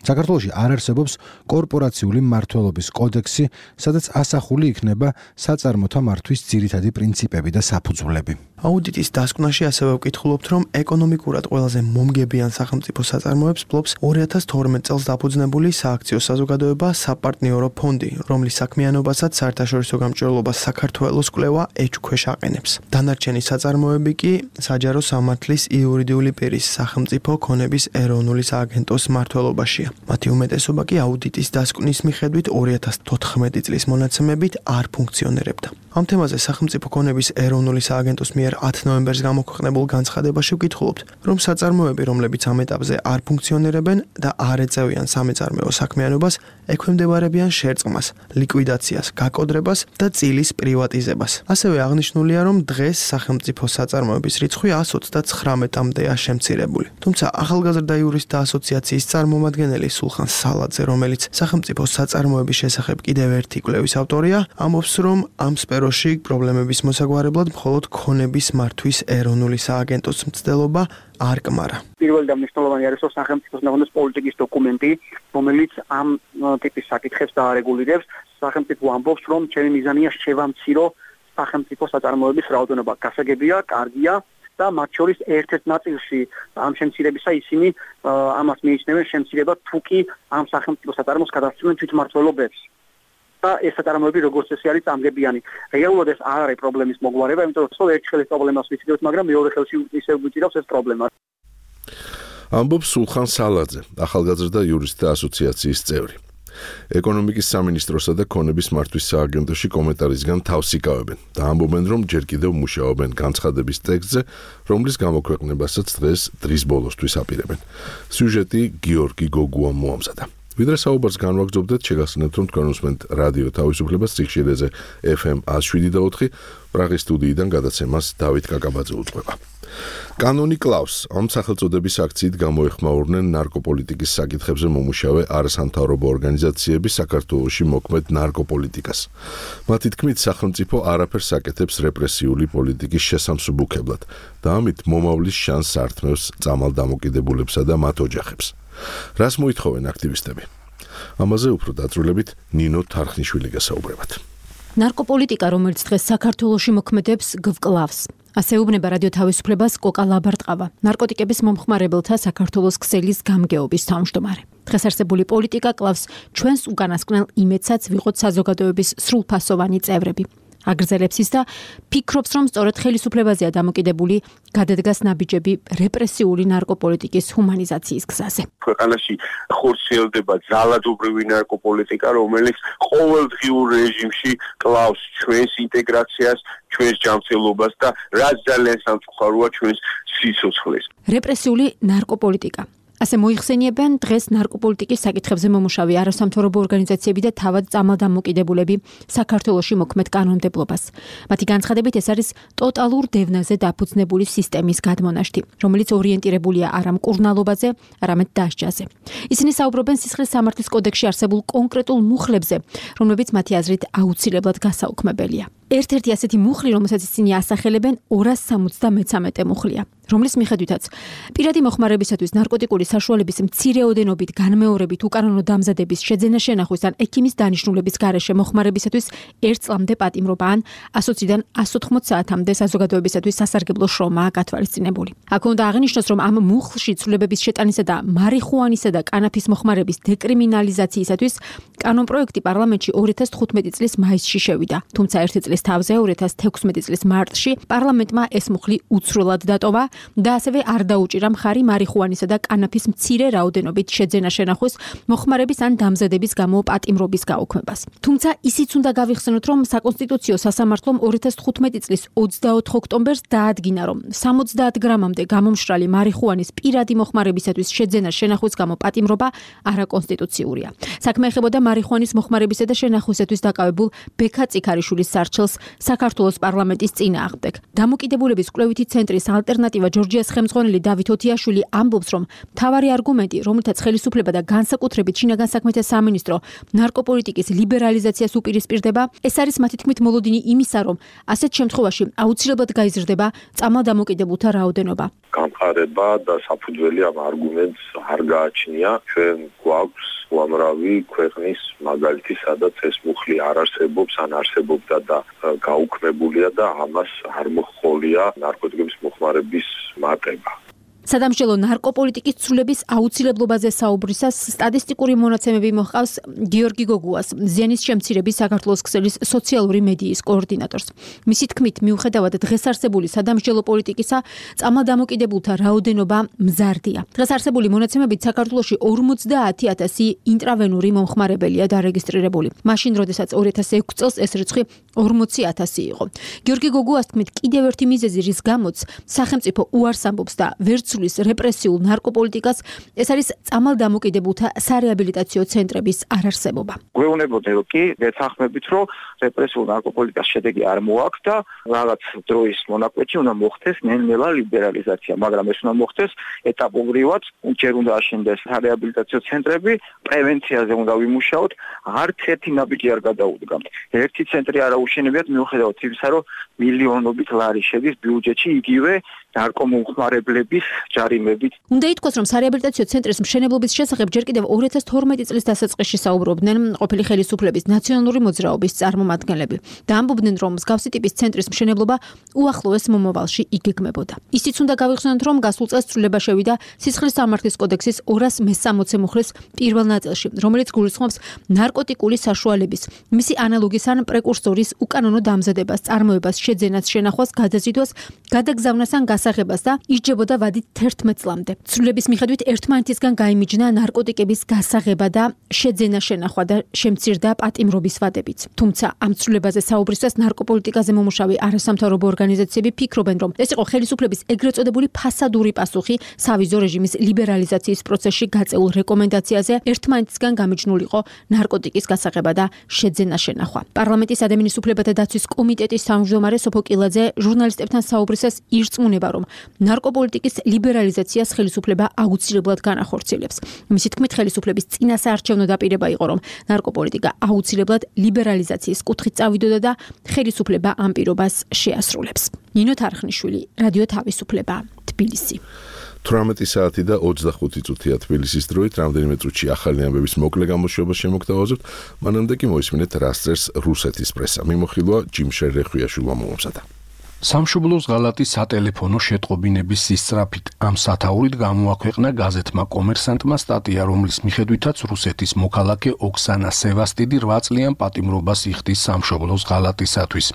საქართველოში არ არსებობს კორპორაციული მმართველობის კოდექსი, სადაც ასახული იქნება საწარმოთა მართვის ძირითადი პრინციპები და საფუძვლები. აუდიტის დასკვნაში ასევე ვკითხულობთ, რომ ეკონომიკურად ყველაზე მომგებიან სახელმწიფო საწარმოებს ფლობს 2012 წელს დაფუძნებული სააქციო საზოგადოება საპარტნიორო ფონდი, რომლის საქმიანობასაც საერთაშორისო გამჭვირვალობას საქართველოს კვლევა ეჭვქვეშ აყენებს. დანარჩენი საწარმოები კი საჯარო სამართლის იურიდიული პირის სახელმწიფო ქონების ეროვნული სააგენტოს მმართველობაშია. მათი უმეტესობა კი აუდიტის დასკვნის მიხედვით 2014 წლის მონაცემებით არ ფუნქციონირებდა. ამ თემაზე სახელმწიფო ქონების ეროვნული სააგენტოს მიერ 10 ნოემბერს გამოქვეყნებულ განცხადებაში ვკითხულობთ, რომ საწარმოები, რომლებიც ამ ეტაპზე არ ფუნქციონირებენ და არ ეწევიან სამეწარმეო საქმიანობას, ექვემდებარებიან შერწყმას, ლიკვიდაციას, გაკოდრებას და წილის პრივატიზებას. ასევე აღნიშნულია, რომ დღეს სახელმწიფო საწარმოების რიცხვი 139-მდეა შემცირებული. თუმცა ახალგაზრდა იურისტთა ასოციაციის წარმომადგენელი სულხან სალაძე, რომელიც სახელმწიფო საწარმოების შესახებ კიდევ ერთი კვლევის ავტორია, ამბობს, რომ ამ სფეროში პრობლემების მოსაგვარებლად მხოლოდ ქონების მართვის ეროვნული სააგენტოს მცდელობა არ კმარა. პირველი და მნიშვნელოვანი არის სახელმწიფოს ნორმის პოლიტიკის დოკუმენტი, რომელიც ამ ტიპის საკითხებს დაარეგულირებს. სახელმწიფო ამბობს, რომ ჩემი მიზანია შევამცირო სახელმწიფო საწარმოების რაოდენობა. გასაგებია, კარგია და მათ შორის ერთ-ერთ ნაწილში ამ შემცირებისა ისინი ამას მიიჩნევენ შემცირება თუ კი ამ სახელმწიფო საწარმოს გადასცემენ თვითმმართველობებს. და ეს საწარმოები როგორც ესე არის წამგებიანი. რეალურად ეს არ არის პრობლემის მოგვარება, იმიტომ რომ ერთ ხელის პრობლემას ვიცით, მაგრამ მეორე ხელში ისევ გვიწირავს ეს პრობლემა. ამბობს სულხან სალაძე, ახალგაზრდა იურისტთა ასოციაციის წევრი. ეკონომიკის სამინისტროსა და ქონების მართვის სააგენტოში კომენტარისგან თავს იკავებენ და ამბობენ, რომ ჯერ კიდევ მუშაობენ განცხადების ტექსტზე, რომლის გამოქვეყნებასაც დღეს დრის ბოლოსთვის აპირებენ. სიუჟეტი გიორგი გოგუამ მოამზადა. ვიდრე საუბარს განვაგრძობდეთ, შეგახსენებთ, რომ თქვენ უსმენთ რადიო თავისუფლებას სიხშირეზე FM 107.4, პრაღის სტუდიიდან გადაცემას დავით კაკაბაძე უძღვება. კანონი კლავს, ამ სახელწოდების აქციით გამოეხმაურნენ ნარკოპოლიტიკის საკითხებზე მომუშავე არასამთავრობო ორგანიზაციები საქართველოში მოქმედ ნარკოპოლიტიკას. მათი თქმით, სახელმწიფო არაფერს აკეთებს რეპრესიული პოლიტიკის შესამსუბუქებლად და ამით მომავლის შანსს ართმევს წამალ დამოკიდებულებსა და მათ ოჯახებს. რას მოითხოვენ აქტივისტები? ამაზე უფრო დაწვრილებით ნინო თარხნიშვილი გასაუბრებათ. ნარკოპოლიტიკა, რომელიც დღეს საქართველოში მოქმედებს, გვკლავს. ასე უბნება რადიო თავისუფლებას კოკა ლაბარტყავა, ნარკოტიკების მომხმარებელთა საქართველოს ქსელის გამგეობის თავმჯდომარე. დღეს არსებული პოლიტიკა კლავს ჩვენს უკანასკნელ იმედსაც ვიყოთ საზოგადოების სრულფასოვანი წევრები. აგრძელებს ის და ფიქრობს, რომ სწორედ ხელისუფლებაზეა დამოკიდებული გადადგას ნაბიჯები რეპრესიული ნარკოპოლიტიკის ჰუმანიზაციის გზაზე. ქვეყანაში ხორციელდება ძალადობრივი ნარკოპოლიტიკა, რომელიც ყოველდღიურ რეჟიმში კლავს ჩვენს ინტეგრაციას, ჩვენს ჯანმრთელობას და რაც ძალიან სამწუხაროა ჩვენს სიცოცხლეს. რეპრესიული ნარკოპოლიტიკა. ასე მოიხსენიებენ დღეს ნარკოპოლიტიკის საკითხებზე მომუშავე არასამთავრობო ორგანიზაციები და თავად წამალ დამოკიდებულები საქართველოში მოქმედ კანონმდებლობას. მათი განცხადებით ეს არის ტოტალურ დევნაზე დაფუძნებული სისტემის გადმონაშთი, რომელიც ორიენტირებულია არა მკურნალობაზე, არამედ დასჯაზე. ისინი საუბრობენ სისხლის სამართლის კოდექსში არსებულ კონკრეტულ მუხლებზე, რომლებიც მათი აზრით აუცილებლად გასაუქმებელია. ერთ-ერთი ასეთი მუხლი, რომელსაც ისინი ასახელებენ 273 მუხლია, რომლის მიხედვითაც პირადი მოხმარებისათვის ნარკოტიკული საშუალების მცირეოდენობით განმეორებით უკანონო დამზადების შეძენა შენახვის ან ექიმის დანიშნულების გარეშე მოხმარებისათვის 1 წლამდე პატიმრობა ან 120-დან 180 საათამდე საზოგადოებისათვის სასარგებლო შრომაა გათვალისწინებული. აქ უნდა აღინიშნოს, რომ ამ მუხლში ცვლილებების შეტანისა და მარიხუანისა და კანაფის მოხმარების დეკრიმინალიზაციისათვის კანონპროექტი პარლამენტში 2015 წლის მაისში შევიდა. თუმცა ერთი წლის თავზე 2016 წლის მარტში პარლამენტმა ეს მუხლი უცვლელად დატოვა და ასევე არ დაუჭირა მხარი მარიხუანისა და კანაფის მცირე რაოდენობით შეძენა შენახვის მოხმარების ან დამზადების გამო პატიმრობის გაუქმებას. თუმცა ისიც უნდა გავიხსენოთ, რომ საკონსტიტუციო სასამართლომ 2015 წლის 24 ოქტომბერს დაადგინა, რომ 70 გრამამდე გამომშრალი მარიხუანის პირადი მოხმარებისათვის შეძენა შენახვის გამო პატიმრობა არაკონსტიტუციურია. საქმე ეხებოდა მარიხუანის მოხმარებისა და შენახვისათვის დაკავებულ ბექა წიქარიშვილის სარჩელს საქართველოს პარლამენტის წინააღმდეგ. დამოკიდებულების კვლევითი ცენტრის ალტერნატივა ჯორჯიას ხელმძღვანელი დავით ოთიაშვილი ამბობს, რომ მთავარი არგუმენტი, რომელთაც ხელისუფლება და განსაკუთრებით შინაგან საქმეთა სამინისტრო ნარკოპოლიტიკის ლიბერალიზაციას უპირისპირდება, ეს არის მათი თქმით მოლოდინი იმისა, რომ ასეთ შემთხვევაში აუცილებლად გაიზრდება წამალ დამოკიდებულთა რაოდენობა. გამყარება და საფუძველი ამ არგუმენტს არ გააჩნია. ჩვენ გვაქვს უამრავი ქვეყნის მაგალითი, სადაც ეს მუხლი არ არსებობს, ან არსებობდა და გაუქმებულია და ამას არ მოჰყოლია ნარკოტიკების მოხმარების მატება. სადამსჯელო ნარკოპოლიტიკის ცვლილების აუცილებლობაზე საუბრისას სტატისტიკური მონაცემები მოჰყავს გიორგი გოგუას, ზიანის შემცირების საქართველოს ქსელის სოციალური მედიის koordinatorს. მისი თქმით, მიუხედავად დღეს არსებული სადამსჯელო პოლიტიკისა, წამალდამოკიდებულთა რაოდენობა მზარდია. დღეს არსებული მონაცემებით საქართველოში 50,000 ინტრავენური მომხმარებელია დარეგისტრირებული. მაშინ, როდესაც 2006 წელს ეს რიცხვი 40,000 იყო. გიორგი გოგუას თქმით, კიდევ ერთი მიზეზი, რის გამოც სახელმწიფო უარს ამბობს და ვერ ცვლის რეპრესიულ ნარკოპოლიტიკას, ეს არის წამალდამოკიდებულთა სარეაბილიტაციო ცენტრების არარსებობა. გვეუბნებოდნენ, რომ კი გეთანხმებით, რომ რეპრესიულ ნარკოპოლიტიკას შედეგი არ მოაქვს და რაღაც დროის მონაკვეთში უნდა მოხდეს ნელ-ნელა ლიბერალიზაცია, მაგრამ ეს უნდა მოხდეს ეტაპობრივად, ჯერ უნდა აშენდეს სარეაბილიტაციო ცენტრები, პრევენციაზე უნდა ვიმუშაოთ, არც ერთი ნაბიჯი არ გადაუდგამთ. ერთი ცენტრი არ აუშენებიათ მიუხედავად იმისა, რომ მილიონობით ლარი შედის ბიუჯეტში იგივე ნარკომომხმარებლების ჯარიმებით. უნდა ითქვას, რომ სარეაბილიტაციო ცენტრის მშენებლობის შესახებ ჯერ კიდევ 2012 წლის დასაწყისში საუბრობდნენ ყოფილი ხელისუფლების ნაციონალური მოძრაობის წარმომადგენლები და ამბობდნენ, რომ მსგავსი ტიპის ცენტრის მშენებლობა უახლოეს მომავალში იგეგმებოდა. ისიც უნდა გავიხსენოთ, რომ გასულ წელს ცვლილება შევიდა სისხლის სამართლის კოდექსის 260 მუხლის პირველ ნაწილში, რომელიც გულისხმობს ნარკოტიკული საშუალების, მისი ანალოგის ან პრეკურსორის უკანონო დამზადებას, წარმოებას, შეძენას, შენახვას, გადაზიდვას, გადაგზავნას ან გასაღებას და ისჯებოდა ვადით 11 წლამდე. ცვლილების მიხედვით ერთმანეთისგან გაიმიჯნა ნარკოტიკების გასაღება და შეძენა, შენახვა და შემცირდა პატიმრობის ვადებიც. თუმცა ამ ცვლილებაზე საუბრისას ნარკოპოლიტიკაზე მომუშავე არასამთავრობო ორგანიზაციები ფიქრობენ, რომ ეს იყო ხელისუფლების ეგრეთ წოდებული ფასადური პასუხი სავიზო რეჟიმის ლიბერალიზაციის პროცესში გაწეულ რეკომენდაციაზე ერთმანეთისგან გამიჯნულიყო ნარკოტიკის გასაღება და შეძენა, შენახვა. პარლამენტის ადამიანის უფლებათა დაცვის კომიტეტის თავმჯდომარე სოფო კილაძე ჟურნალისტებთან საუბრისას ირწმუნება, რომ ნარკოპოლიტიკის ლიბერალიზაციას ხელისუფლება აუცილებლად განახორციელებს. მისი თქმით, ხელისუფლების წინასაარჩევნო დაპირება იყო, რომ ნარკოპოლიტიკა აუცილებლად ლიბერალიზაციის კუთხით წავიდოდა და ხელისუფლება ამ პირობას შეასრულებს. ნინო თარხნიშვილი, რადიო თავისუფლება, თბილისი. 18 საათი და 25 წუთია თბილისის დროით, რამდენიმე წუთში ახალი ამბების მოკლე გამოშვება შემოგთავაზებთ, მანამდე კი მოისმინეთ რას წერს რუსეთის პრესა. მიმოხილვა ჯიმშერ რეხვიაშვილმა მომამზადა. სამშობლოს ღალატის სატელეფონო შეტყობინების სისწრაფით ამ სათაურით გამოაქვეყნა გაზეთმა კომერსანტმა სტატია, რომლის მიხედვითაც რუსეთის მოქალაქე ოქსანა სევასტიდი 8 წლიან პატიმრობას იხდის სამშობლოს ღალატისათვის,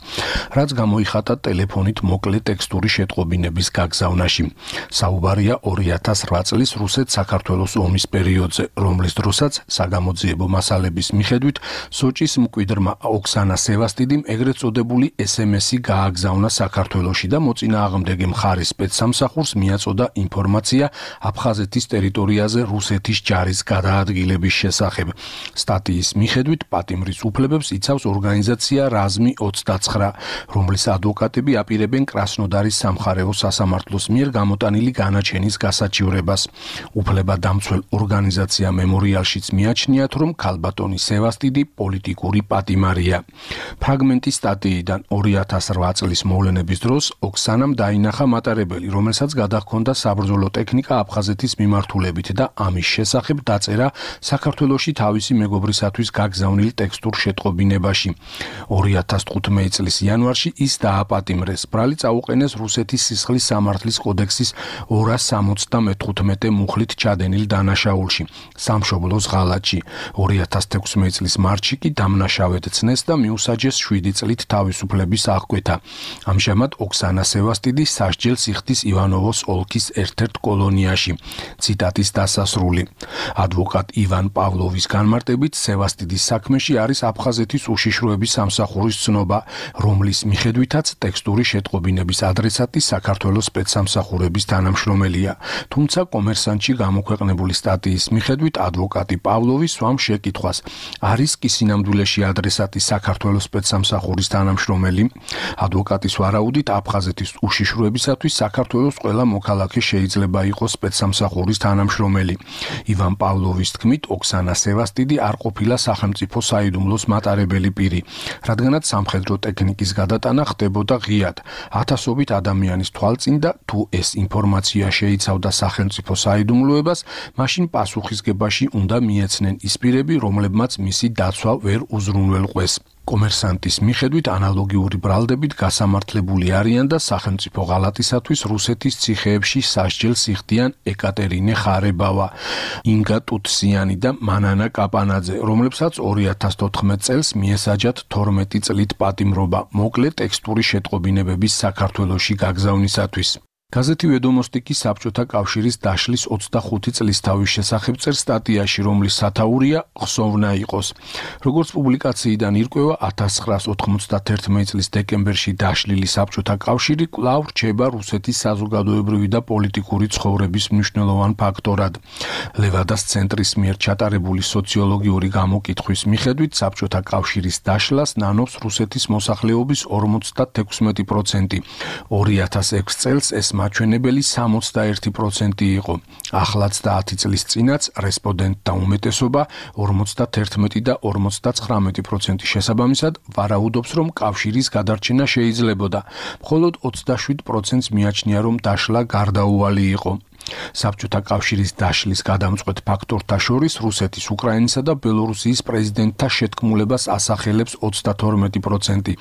რაც გამოიხატა ტელეფონით მოკლე ტექსტური შეტყობინების გაგზავნაში. საუბარია 2008 წლის რუსეთ-საქართველოს ომის პერიოდზე, რომლის დროსაც საგამოძიებო მასალების მიხედვით სოჭის მკვიდრმა ოქსანა სევასტიდიმ ეგრეთ წოდებული SMS-ი გააგზავნა საქართველოში და მოწინააღმდეგე მხარის სპეცსამსახურს მიაწოდა ინფორმაცია აფხაზეთის ტერიტორიაზე რუსეთის ჯარის გადაადგილების შესახებ. სტატიის მიხედვით პატიმრის უფლებებს იცავს ორგანიზაცია რაზმი 29, რომლის ადვოკატები აპირებენ კრასნოდარის სამხარეო სასამართლოს მიერ გამოტანილი განაჩენის გასაჩივრებას. უფლებადამცველ ორგანიზაცია მემორიალშიც მიაჩნიათ, რომ ქალბატონი სევასტიდი პოლიტიკური პატიმარია. ფრაგმენტი სტატიიდან 2008 წლის მოვლენების დროს ოქსანამ დაინახა მატარებელი, რომელსაც გადაჰქონდა საბრძოლო ტექნიკა აფხაზეთის მიმართულებით და ამის შესახებ დაწერა საქართველოში თავისი მეგობრისათვის გაგზავნილ ტექსტურ შეტყობინებაში. 2015 წლის იანვარში ის დააპატიმრეს. ბრალი წაუყენეს რუსეთის სისხლის სამართლის კოდექსის 275 მუხლით ჩადენილ დანაშაულში, სამშობლოს ღალატში. 2016 წლის მარტში კი დამნაშავედ ცნეს და მიუსაჯეს 7 წლით თავისუფლების აღკვეთა. ამჟამად ოქსანა სევასტიდი სასჯელ სიხდის ივანოვოს ოლქის ერთ-ერთ კოლონიაში. ციტატის დასასრული. ადვოკატ ივან პავლოვის განმარტებით, სევასტიდის საქმეში არის აფხაზეთის უშიშროების სამსახურის ცნობა, რომლის მიხედვითაც ტექსტური შეტყობინების ადრესატი საქართველოს სპეცსამსახურების თანამშრომელია. თუმცა კომერსანტში გამოქვეყნებული სტატიის მიხედვით ადვოკატი პავლოვი სვამს შეკითხვას, არის კი სინამდვილეში ადრესატი საქართველოს სპეცსამსახურის თანამშრომელი? ადვოკატის ვარაუდით აფხაზეთის უშიშროებისათვის საქართველოს ყველა მოქალაქე შეიძლება იყოს სპეცსამსახურის თანამშრომელი. ივან პავლოვის თქმით, ოქსანა სევასტიდი არ ყოფილა სახელმწიფო საიდუმლოს მატარებელი პირი, რადგანაც სამხედრო ტექნიკის გადატანა ხდებოდა ღიად, ათასობით ადამიანის თვალწინ და თუ ეს ინფორმაცია შეიცავდა სახელმწიფო საიდუმლოებას, მაშინ პასუხისგებაში უნდა მიეცნენ ის პირები, რომლებმაც მისი დაცვა ვერ უზრუნველყვეს. კომერსანტის მიხედვით ანალოგიური ბრალდებით გასამართლებული არიან და სახელმწიფო ღალატისათვის რუსეთის ციხეებში სასჯელს იხდიან ეკატერინე ხარებავა, ინგა ტუტსიანი და მანანა კაპანაძე, რომლებსაც 2014 წელს მიესაჯათ 12 წლით პატიმრობა მოკლე ტექსტური შეტყობინებების საქართველოში გაგზავნისათვის. გაზეთი ვედომოსტი კი საბჭოთა კავშირის დაშლის 25 წლის თავის შესახებ წერს სტატიაში, რომლის სათაურია ხსოვნა იყოს. როგორც პუბლიკაციიდან ირკვევა, 1991 წლის დეკემბერში დაშლილი საბჭოთა კავშირი კვლავ რჩება რუსეთის საზოგადოებრივი და პოლიტიკური ცხოვრების მნიშვნელოვან ფაქტორად. ლევადას ცენტრის მიერ ჩატარებული სოციოლოგიური გამოკითხვის მიხედვით, საბჭოთა კავშირის დაშლას ნანობს რუსეთის მოსახლეობის 56%. 2006 წელს ეს მაჩვენებელი 61% იყო. ახლაც და 10 წლის წინაც რესპონდენტთა უმეტესობა 51 და 59% შესაბამისად ვარაუდობს, რომ კავშირის გადარჩენა შეიძლებოდა. მხოლოდ 27%-ს მიაჩნია, რომ დაშლა გარდაუვალი იყო. საბჭოთა კავშირის დაშლის გადამწყვეტ ფაქტორთა შორის რუსეთის, უკრაინისა და ბელორუსიის პრეზიდენტთა შეთქმულებას ასახელებს 32%,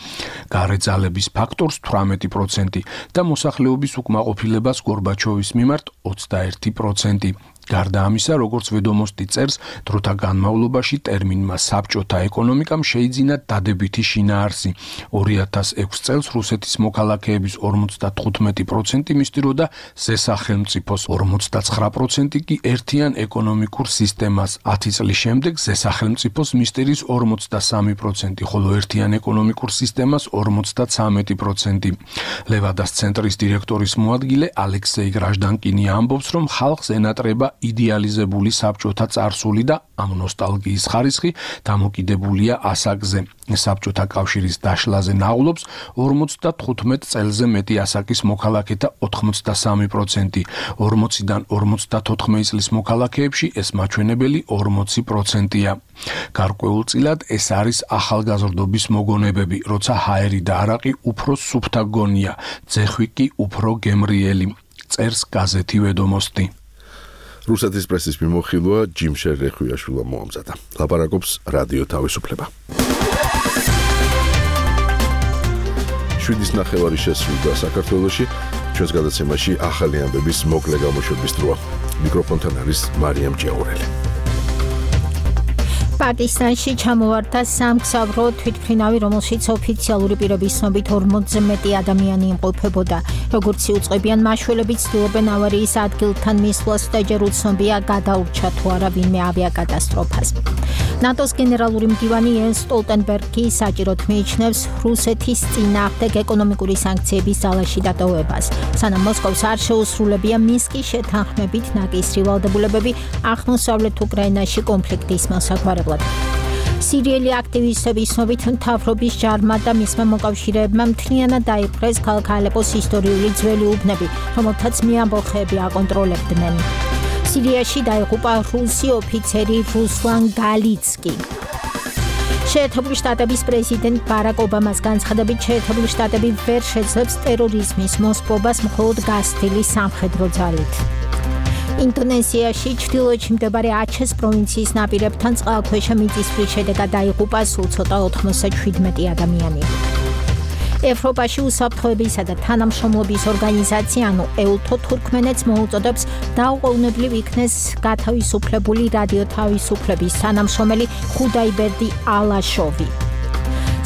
გარეძალების ფაქტორს 18% და მოსახლეობის უკმაყოფილებას გორბაჩოვის მიმართ 21%. გარდა ამისა, როგორც ვედომოსტი წერს, დროთა განმავლობაში ტერმინმა საბჭოთა ეკონომიკამ შეიძინა დადებითი შინაარსი. 2006 წელს რუსეთის მოქალაქეების 55% მისდიროდა ზესახელმწიფოს, 59% კი ერთიან ეკონომიკურ სისტემას. 10 წლის შემდეგ ზესახელმწიფოს მისდირის 43%, ხოლო ერთიან ეკონომიკურ სისტემას 53%. ლევადას ცენტრის დირექტორის მოადგილე ალექსეი გრაჟდანკინი ამბობს, რომ ხალხს ენატრება იდეალიზებული საბჭოთა წარსული და ამ ნოსტალგიის ხარისხი დამოკიდებულია ასაკზე. საბჭოთა კავშირის დაშლაზე ნაღლობს 55 წელზე მეტი ასაკის მოქალაქეთა 83%, 40-დან 54 წლის მოქალაქეებში ეს მაჩვენებელი 40%-ია. გარკვეულწილად ეს არის ახალგაზრდობის მოგონებები, როცა ჰაერი და არაყი უფრო სუფთა გონია, ძეხვი კი უფრო გემრიელი, წერს გაზეთი ვედომოსტი. რუსეთის პრესის მიმოხილვა ჯიმშერ რეხვიაშვილმა მოამზადა. ლაპარაკობს რადიო თავისუფლება. 7:09 შესრულდა საქართველოში. ჩვენს გადაცემაში ახალი ამბების მოკლე გამოშვების დროა. მიკროფონთან არის მარიამ ჭიაურელი. პაკისტანში ჩამოვარდა სამგზავრო თვითმფრინავი, რომელშიც ოფიციალური პირების ცნობით 40-ზე მეტი ადამიანი იმყოფებოდა. როგორც იუწყებიან მაშველები, ცდილობენ ავარიის ადგილთან მისვლას და ჯერ უცნობია გადაურჩა თუ არა ვინმე ავიაკატასტროფას. ნატოს გენერალური მდივანი იენს სტოლტენბერგი საჭიროდ მიიჩნევს რუსეთის წინააღმდეგ ეკონომიკური სანქციების ძალაში დატოვებას. სანამ მოსკოვს არ შეუსრულებია მინსკის შეთანხმებით ნაკისრი ვალდებულებები აღმოსავლეთ უკრაინაში კონფლიქტის მოსაგვარებლად. სირიელი აქტივისტების ცნობით მთავრობის ჯარმა და მისმა მოკავშირეებმა მთლიანად დაიპყრეს ქალაქ ალეპოს ისტორიული ძველი უბნები, რომელთაც მეამბოხეები აკონტროლებდნენ. სირიაში დაიღუპა რუსი ოფიცერი რუსლან გალიცკი. შეერთებული შტატების პრეზიდენტ ბარაკ ობამას განცხადებით, შეერთებული შტატები ვერ შეძლებს ტერორიზმის მოსპობას მხოლოდ გასცდილი სამხედრო ძალით. ინდონეზიაში ჩრდილოეთში მდებარე აჩეს პროვინციის ნაპირებთან წყალქვეშა მიწისძვრის შედეგად დაიღუპა სულ ცოტა 97 ადამიანი. ევროპაში უსაფრთხოებისა და თანამშრომლობის ორგანიზაცია, EULTO თურქმენეთს მოუწოდებს დაუყოვნებლივ იქნეს გათავისუფლებული რადიო თავისუფლების თანამშრომელი ხუდაიბერდი ალაშოვი.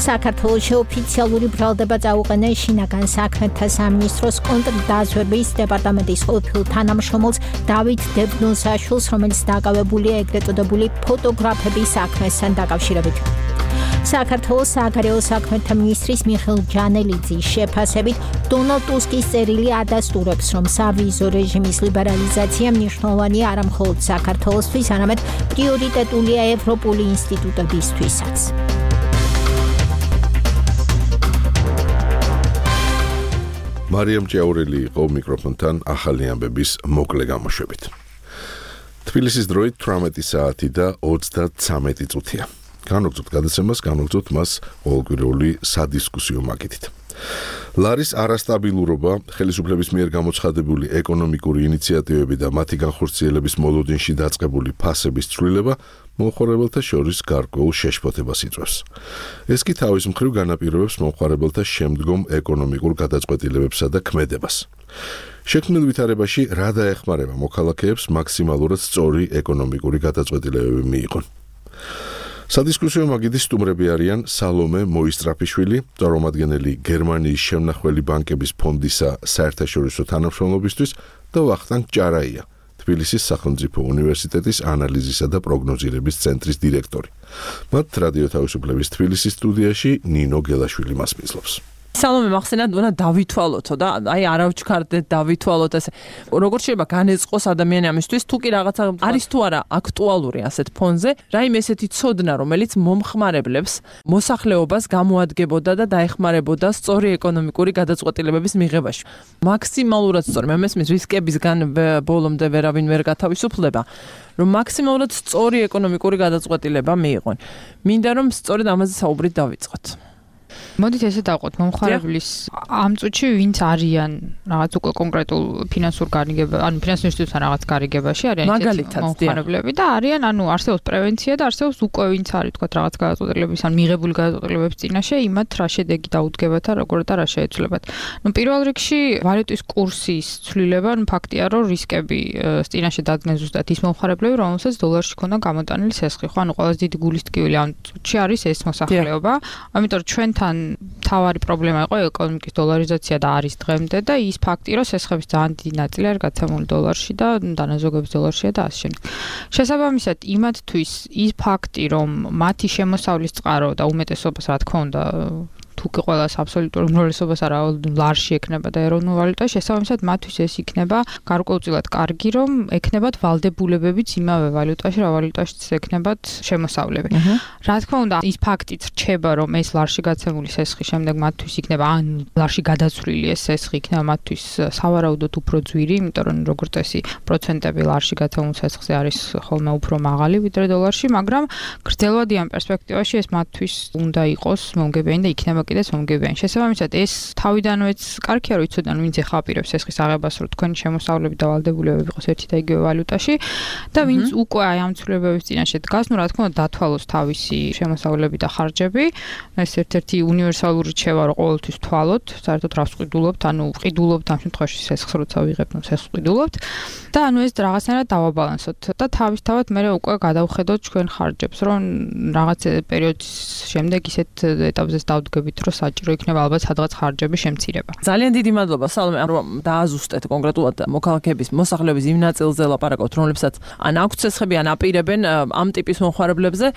საქართველოში ოფიციალური ბრალდება წაუყენეს შინაგან საქმეთა სამინისტროს კონტრდაზვერვის დეპარტამენტის ყოფილ თანამშრომელს დავით დებნოსაშვილს, რომელიც დაკავებულია ეგრეთ წოდებული ფოტოგრაფების საქმესთან დაკავშირებით. საქართველოს საგარეო საქმეთა მინისტრის მიხეილ ჯანელიძის შეფასებით, დონალდ ტუსკის წერილი ადასტურებს, რომ სავიზო რეჟიმის ლიბერალიზაცია მნიშვნელოვანია არა მხოლოდ საქართველოსთვის, არამედ პრიორიტეტულია ევროპული ინსტიტუტებისთვისაც. მარიამ ჭიაურელი იყო მიკროფონთან ახალი ამბების მოკლე გამოშვებით. თბილისის დროით 18 საათი და 33 წუთია. განვაგრძობთ გადაცემას, განვაგრძობთ მას ყოველკვირეული სადისკუსიო მაგიდით. ლარის არასტაბილურობა, ხელისუფლების მიერ გამოცხადებული ეკონომიკური ინიციატივები და მათი განხორციელების მოლოდინში დაწყებული ფასების ცვლილება მომხმარებელთა შორის გარკვეულ შეშფოთებას იწვევს. ეს კი თავის მხრივ განაპირობებს მომხმარებელთა შემდგომ ეკონომიკურ გადაწყვეტილებებსა და ქმედებას. შექმნილ ვითარებაში რა დაეხმარება მოქალაქეებს მაქსიმალურად სწორი ეკონომიკური გადაწყვეტილებები მიიღონ. სადისკუსიო მაგიდის სტუმრები არიან სალომე მოისტრაფიშვილი, წარმომადგენელი გერმანიის შემნახველი ბანკების ფონდისა საერთაშორისო თანამშრომლობისთვის და ვახტანგ ჭარაია, თბილისის სახელმწიფო უნივერსიტეტის ანალიზისა და პროგნოზირების ცენტრის დირექტორი. მათ რადიო თავისუფლების თბილისის სტუდიაში ნინო გელაშვილი მასპინძლობს. სალომე მახსენად უნდა დავითვალოთო და აი არავჩქარდეთ დავითვალოთ ესე როგორ შეიძლება განეწყოს ადამიანი ამისთვის თუ კი რაღაცა არის თუ არა აქტუალური ასეთ ფონზე რაიმე ესეთი ცოდნა რომელიც მომხმარებლებს მოსახლეობას გამოადგებოდა და დაეხმარებოდა სწორი ეკონომიკური გადაწყვეტილებების მიღებაში მაქსიმალურად სწორი მე მესმის რისკებისგან ბოლომდე ვერავინ ვერ გათავისუფლდება რომ მაქსიმალურად სწორი ეკონომიკური გადაწყვეტილება მიიღონ მინდა რომ სწორედ ამაზე საუბრით დავიწყოთ მოდით ესე დავყოთ მომხმარებლის ამ წუთში ვინც არიან რაღაც უკვე კონკრეტულ ფინანსურ გარიგებაში, ანუ ფინანსურ ინსტიტუტთან რაღაც გარიგებაში არიან მომხმარებლები და არიან, ანუ არსებობს პრევენცია და არსებობს უკვე ვინც არის თქვა რაღაც გადაწყვეტილების ან მიღებული გადაწყვეტილებების წინაშე, იმათ რა შედეგი დაუდგებათ და როგორ და რა შეეცვლებათ. ნუ პირველ რიგში ვალუტის კურსის ცვლილება, ნუ ფაქტია, რომ რისკები წინაშე დადგნენ ზუსტად ის მომხმარებლები, რომელსაც დოლარში ქონდა გამოტანილი სესხი, ხო, ანუ ყველაზე დიდი გულის ტკივილი ამ წუთში არის ეს მოსახლეობა. ამიტომ ჩვენთან თავარი პრობლემა იყო ეკონომიკის დოლარიზაცია და არის დღემდე და ის ფაქტი, რომ სესხების ძალიან დიდი ნაწილი არის გაცემული დოლარში და დანაზოგების დოლარშია და ასე შემდეგ. შესაბამისად, იმათთვის ის ფაქტი, რომ მათი შემოსავლის წყარო და უმეტესობას რა თქმა უნდა თუკი ყველას აბსოლუტურ უმრავლესობას არა ლარში ექნება და ეროვნულ ვალუტაში, შესაბამისად მათთვის ეს იქნება გარკვეულწილად კარგი, რომ ექნებათ ვალდებულებებიც იმავე ვალუტაში, რა ვალუტაშიც ექნებათ შემოსავლები. რა თქმა უნდა, ის ფაქტიც რჩება, რომ ეს ლარში გაცემული სესხი შემდეგ მათთვის იქნება ან ლარში გადაცვლილი ეს სესხი იქნება მათთვის სავარაუდოდ უფრო ძვირი, იმიტომ რომ როგორც წესი პროცენტები ლარში გაცემულ სესხზე არის ხოლმე უფრო მაღალი ვიდრე დოლარში, მაგრამ გრძელვადიან პერსპექტივაში ეს მათთვის უნდა იყოს მომგებიანი და იქნება კიდეც მომგებიანი. შესაბამისად, ეს თავიდანვეც კარგია, რომ იცოდან ვინც ეხაპირებს სესხის აღებას, რომ თქვენი შემოსავლები და ვალდებულებები იყოს ერთი და იგივე ვალუტაში და ვინც უკვე აი ამ ცვლილებების წინაშე დგას, ნუ რა თქმა უნდა დათვალოს თავისი შემოსავლები და ხარჯები. ეს ერთ-ერთი უნივერსალური რჩევა, რომ ყოველთვის თვალოთ, საერთოდ რას ვყიდულობთ, ანუ ვყიდულობთ ამ შემთხვევაში სესხს, როცა ვიღებთ, ნუ სესხს ვყიდულობთ და ანუ ეს რაღაცნაირად დავაბალანსოთ და თავისთავად მე უკვე გადავხედოთ ჩვენ ხარჯებს, რომ რაღაც პერიოდის შემდეგ ისეთ ეტაპზეც დავდგებით რომ საჭირო იქნება ალბათ სადღაც ხარჯების შემცირება. ძალიან დიდი მადლობა სალომე, რომ დააზუსტეთ კონკრეტულად მოქალაქეების მოსახლეობის იმ ნაწილზე ლაპარაკობთ, რომლებსაც ან აქვთ სესხები, ან აპირებენ ამ ტიპის მომხმარებლებზე,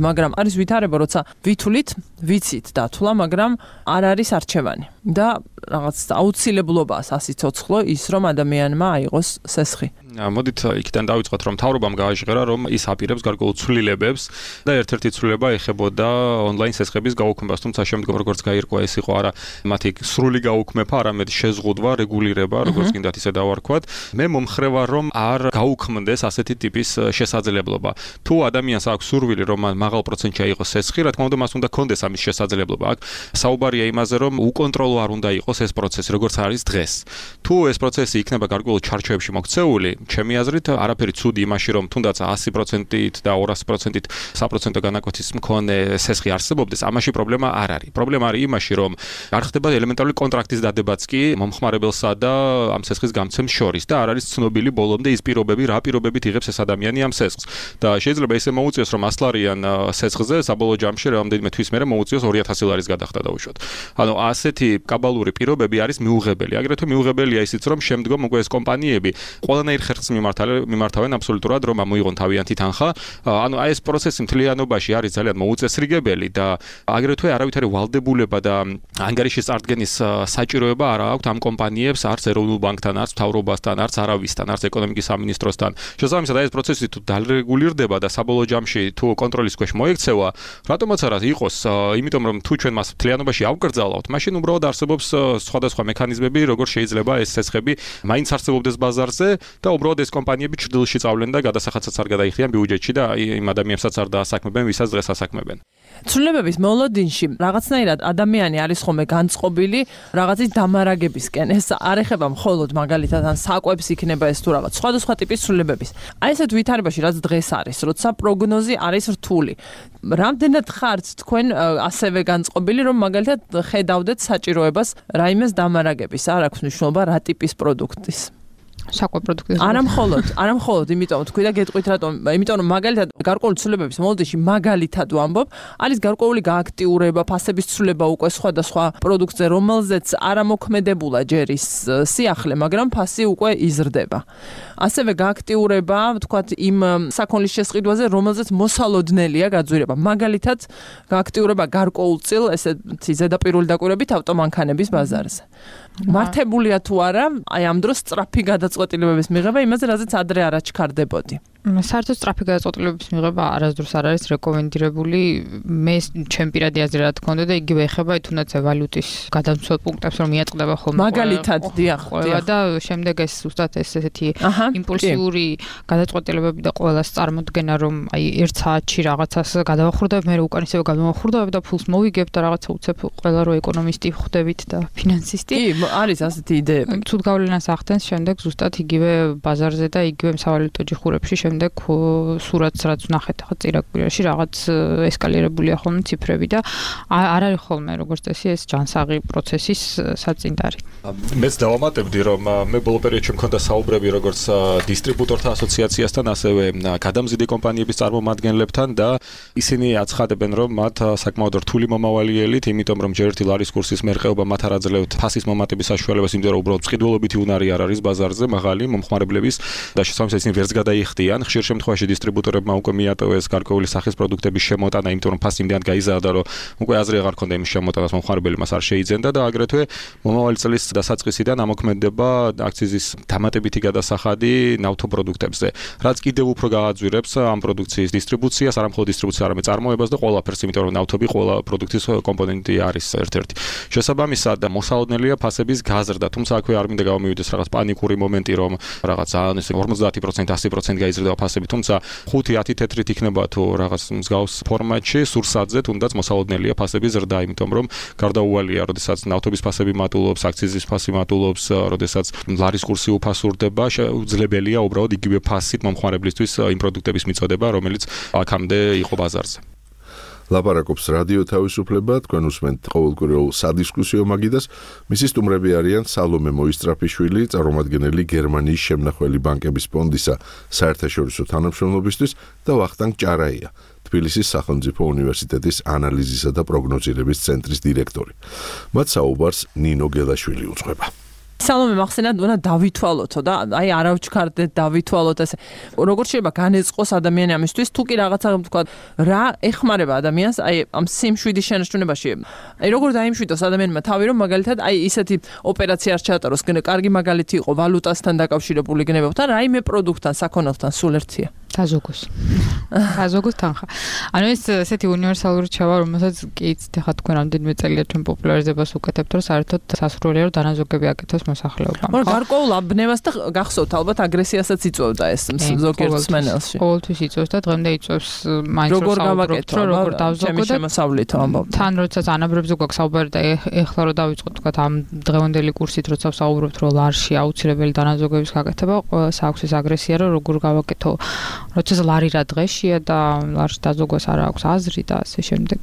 მაგრამ არის ვითარება, როცა ვითვლით, ვიცით დათვლა, მაგრამ არ არის არჩევანი და რაღაც აუცილებლობაა სასიცოცხლო ის, რომ ადამიანმა აიღოს სესხი. მოდით იქიდან დავიწყოთ, რომ მთავრობამ გააჟღერა, რომ ის აპირებს გარკვეულ ცვლილებებს და ერთ-ერთი ცვლილება ეხებოდა ონლაინ სესხების გაუქმებას, თუმცა შემდგომ როგორც გაირკვა, ეს იყო არა მათი სრული გაუქმება, არამედ შეზღუდვა, რეგულირება, როგორც გინდათ ისე დავარქვათ. მე მომხრევა, რომ არ გაუქმდეს ასეთი ტიპის შესაძლებლობა. თუ ადამიანს აქვს სურვილი, რომ მაღალ პროცენტში აიღოს სესხი, რა თქმა უნდა, მას უნდა კონდეს ამის შესაძლებლობა. აქ საუბარია იმაზე, რომ უკონტროლო არ უნდა იყოს ეს პროცესი, როგორც არის დღეს. თუ ეს პროცესი იქნება გარკვეულ ჩარჩოებში მოქცეული, ჩემი აზრით, არაფერი ცუდი იმაში, რომ თუნდაც 100%-ით და 200%-ით საპროცენტო განაკვეთის მქონე სესხი არსებობდეს, ამაში პრობლემა არ არის. პრობლემა არის იმაში, რომ არ ხდება ელემენტარული კონტრაქტის დადებაც კი მომხმარებელსა და ამ სესხის გამცემს შორის და არ არის ცნობილი ბოლომდე ის პირობები, რა პირობებით იღებს ეს ადამიანი ამ სესხს. და შეიძლება ისე მოუწიოს, რომ 100 ლარიან სესხზე საბოლოო ჯამში რამდენიმე თვის მერე მოუწიოს 2000 ლარის გადახდა დაუშვათ. ანუ ასეთი კაბალური პირობები არის მიუღებელი. აგრეთვე მიუღებელია ისიც, რომ შემდგომ უკვე ეს კომპანიები ყველანაირ ხერხს მიმართავენ აბსოლუტურად, რომ ამოიღონ თავიანთი თანხა. ანუ აი ეს პროცესი მთლიანობაში არის ძალიან მოუწესრიგებელი და აგრეთვე არავითარი ვალდებულება და ანგარიშის წარდგენის საჭიროება არ აქვს ამ კომპანიებს, არც ეროვნულ ბანკთან, არც მთავრობასთან, არც არავისთან, არც ეკონომიკის სამინისტროსთან. შესაბამისად, აი ეს პროცესი თუ დარეგულირდება და საბოლოო ჯამში თუ კონტროლის ქვეშ მოექცევა, რატომაც არა იყოს, იმიტომ რომ თუ ჩვენ მას მთლიანობაში ავკრძალავთ, მაშინ უბრალოდ არსებობს სხვადასხვა მექანიზმები, როგორ შეიძლება ეს სესხები მაინც არსებობდეს ბაზარზე და უბრალოდ ეს კომპანიები ჭრდილში წავლენ და გადასახადსაც არ გადაიხდიან ბიუჯეტში და იმ ადამიანებსაც არ დაასაქმებენ, ვისაც დღეს ასაქმებენ. ცვლილებების მოლოდინში რაღაცნაირად ადამიანი არის ხოლმე განწყობილი რაღაცის დამარაგებისკენ. ეს არ ეხება მხოლოდ მაგალითად ან საკვებს იქნება ეს თუ რაღაც სხვადასხვა ტიპის ცვლილებების. აი ესეთ ვითარებაში რაც დღეს არის, როცა პროგნოზი არის რთული. რამდენად ხართ თქვენ ასევე განწყობილი, რომ მაგალითად ხედავდეთ საჭიროებას რაიმეს დამარაგების, არ აქვს მნიშვნელობა რა ტიპის პროდუქტის. საკვებ პროდუქტის. არა მხოლოდ, იმიტომ თქვი და გეტყვით რატომ, იმიტომ რომ მაგალითად გარკვეული ცვლილებების მოლოდინში მაგალითად ვამბობ, არის გარკვეული გააქტიურება, ფასების ცვლილება უკვე სხვადასხვა პროდუქტზე, რომელზეც არ ამოქმედებულა ჯერ ის სიახლე, მაგრამ ფასი უკვე იზრდება. ასევე გააქტიურება, ვთქვათ, იმ საქონლის შესყიდვაზე, რომელზეც მოსალოდნელია გაძვირება. მაგალითად, გააქტიურება გარკვეულწილ ესეთი ზედაპირული დაკვირვებით ავტომანქანების ბაზარზე. მართებულია თუ არა, აი ამ დროს სწრაფი გადაწყვეტილებების მიღება იმაზე, რაზეც ადრე არ აჩქარდებოდი. საერთოდ სწრაფი გადაწყვეტილებების მიღება არასდროს არ არის რეკომენდირებული. მე ჩემ პირადი აზრი რა თქმა უნდა და იგივე ეხება თუნდაც ვალუტის გადამცველ პუნქტებს, რომ მიაწყდება ხოლმე. მაგალითად, დიახ. და შემდეგ ეს ზუსტად ესეთი იმპულსიური გადაწყვეტილებები და ყოველას წარმოდგენა, რომ აი 1 საათში რაღაცას გადავახურდებ, მე უკან ისევ გადავახურდებ და ფულს მოვიგებ და რაღაცა უცებ ყველა რო ეკონომისტი ხვდებით და ფინანსისტი. არის ასეთი იდეები. ცუდ გავლენას ახდენს შემდეგ ზუსტად იგივე ბაზარზე და იგივე სავალუტო ჯიხურებში შემდეგ სურათს რაც ვნახეთ ახლა წირაკბირაში რაღაც ესკალირებულია ხოლმე ციფრები და არ არის ხოლმე როგორც წესი ეს ჯანსაღი პროცესის საწინდარი. მეც დავამატებდი რომ მე ბოლო პერიოდში მქონდა საუბრები როგორც დისტრიბუტორთა ასოციაციასთან ასევე გადამზიდი კომპანიების წარმომადგენლებთან და ისინი აცხადებენ რომ მათ საკმაოდ რთული მომავალი ელით, იმიტომ რომ ჯერ ერთი ლარის კურსის მერყეობა მათ არ აძლევთ ფასის მომატების საშუალებას, იმიტომ რომ უბრალოდ მყიდველობითი უნარი არ არის ბაზარზე მაღალი მომხმარებლების და შესაბამისად ისინი ვერც გადაიხდიან. ხშირ შემთხვევაში დისტრიბუტორებმა უკვე მიატოვეს გარკვეული სახის პროდუქტების შემოტანა, იმიტომ რომ ფასი იმდენად გაიზარდა, რომ უკვე აზრი აღარ ქონდა იმის შემოტანას მომხმარებელი მას არ შეიძენდა და აგრეთვე მომავალი წლის დასაწყისიდან ამოქმედება აქციზის დამატებითი გადასახადი ნავთო პროდუქტებზე, რაც კიდევ უფრო გააძვირებს ამ პროდუქციის დისტრიბუციას, არა მხოლოდ დისტრიბუციას, არამედ წარმოებას და ყველაფერს, იმიტომ რომ ნავთობი ყველა პროდუქტის კომპონენტი არის ერთ-ერთი. შესაბამისად, მოსალოდნელია ფასების გაზრდა, თუმცა აქვე არ მინდა გამომივიდეს რაღაც პანიკური მომენტი, რომ რაღაც 50%, 100% გაიზრდება ფასები, თუმცა 5-10 თეთრით იქნება თუ რაღაც მსგავს ფორმატში, სურსათზე თუნდაც მოსალოდნელია ფასების ზრდა, იმიტომ რომ გარდაუვალია, როდესაც ნავთობის ფასები მატულობს, აქციზის ფასი მატულობს, როდესაც ლარის კურსი უფასურდება, შეუძლებელია უბრალოდ იგივე ფასით მომხმარებლისთვის იმ პროდუქტების მიწოდება, რომელიც აქამდე იყო ბაზარზე. ლაპარაკობს რადიო თავისუფლება, თქვენ უსმენთ ყოველკვირეულ სადისკუსიო მაგიდას. მისი სტუმრები არიან სალომე მოისტრაფიშვილი, წარმომადგენელი გერმანიის შემნახველი ბანკების ფონდისა საერთაშორისო თანამშრომლობისთვის და ვახტანგ ჭარაია, თბილისის სახელმწიფო უნივერსიტეტის ანალიზისა და პროგნოზირების ცენტრის დირექტორი. მათ საუბარს ნინო გელაშვილი უძღვება. სალომე მახსენად უნდა დავითვალოთო და აი არავჩქარდეთ დავითვალოთ ესე როგორ შეიძლება განეწყოს ადამიანი ამისთვის თუ კი რაღაცა თქვა რა ეხმარება ადამიანს აი ამ სიმშვიდის შენარჩუნებაში აი როგორ დაიმშვიდოს ადამიანმა თავი რომ მაგალითად აი ისეთი ოპერაცია არ ჩაატაროს კარგი მაგალითი იყო ვალუტასთან დაკავშირებული გნებებთან რაიმე პროდუქტთან საქონელთან სულ ერთია გაზოგოს თანხა ანუ ეს ესეთი უნივერსალური რჩევა რომელსაც კი ეხლა თქვენ რამდენიმე წელია ჩვენ პოპულარიზებას უკეთებთ რომ საერთოდ სასურველია რომ დანაზოგები აკეთოს მოსახლეობამ. მაგრამ გარკვეულ აბნევას და გახსოვთ ალბათ აგრესიასაც იწვევდა ეს ზოგიერთ მსმენელში. ყოველთვის იწვევს და დღემდე იწვევს მაინც როგორ გავაკეთო როგორ დავზოგო და შემოსავლით ამბობ. თან როცა ანაბრებზე გვაქვს საუბარი და ეხლა რომ დავიწყოთ თქვა ამ დღევანდელი კურსით როცა ვსაუბრობთ რომ ლარში აუცილებელი დანაზოგების გაკეთება ყოველს აქვს ეს აგრესია რომ როგორ გავაკეთო როცა ლარი რა დღეშია და ლარში დაზოგვას არ აქვს აზრი და ასე შემდეგ.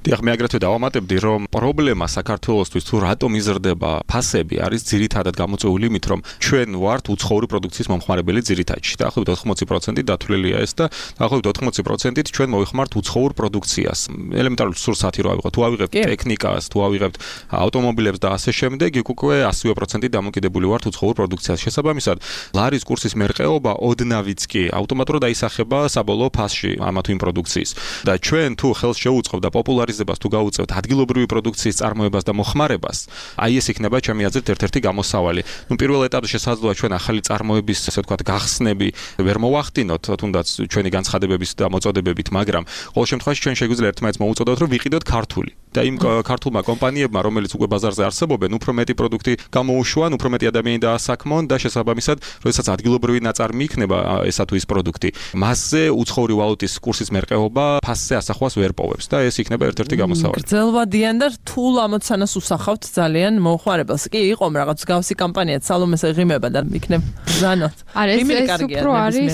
დიახ, მე აგრეთვე დავამატებდი რომ პრობლემა საქართველოსთვის თუ რატომ იზრდება ფასები არის ძირითადად გამოწვეული იმით, რომ ჩვენ ვართ უცხოური პროდუქციის მომხმარებელი ძირითადში. დაახლოებით 80% დათვლილია ეს და დაახლოებით 80%-ით ჩვენ მოვიხმართ უცხოურ პროდუქციას. ელემენტარული სურსათი რო ავიღოთ, თუ ავიღებთ ტექნიკას, თუ ავიღებთ ავტომობილებს და ასე შემდეგ, იქ უკვე 100% დამოკიდებული ვართ უცხოურ პროდუქციას. შესაბამისად, ლარის კურსის მერყეობა ოდნავიც კი ავტომატურად აისახება საბოლოო ფასში ამა თუ იმ პროდუქციის. და ჩვენ თუ ხელს შევუწყობთ და პოპულარიზებას თუ გავუწევთ ადგილობრივი პროდუქციის წარმოებას და მოხმარებას, აი ეს იქნება ჩემი აზრით ერთ-ერთი გამოსავალი. პირველ ეტაპზე შესაძლოა ჩვენ ახალი წარმოების, ასე ვთქვათ, გახსნები ვერ მოვახდინოთ, თუნდაც ჩვენი განცხადებების და მოწოდებებით, მაგრამ ყოველ შემთხვევაში ჩვენ შეგვიძლია ერთმანეთს მოუწოდოთ, რომ ვიყიდოთ ქართული და იმ ქართულმა კომპანიებმა, რომელიც უკვე ბაზარზე არსებობენ, უფრო მეტი პროდუქტი გამოუშვან, უფრო მეტი ადამიანი დაასაქმონ და შესაბამისად, როდესაც ადგილობრივი ნაწარმი იქნება ესა თუ ის პროდუქტი, მასზე უცხოური ვალუტის კურსის მერყეობა ფასზე ასახვას ვერ პოვებს და ეს იქნება ერთ-ერთი გამოსავალი. გრძელვადიან და რთულ ამოცანას usახავთ ძალიან მოხმარებელს. კი, იყო რაღაც გავსი კამპანია, სალომეს ეღიმება და იქნებ ბრძანოთ. ეს უფრო არის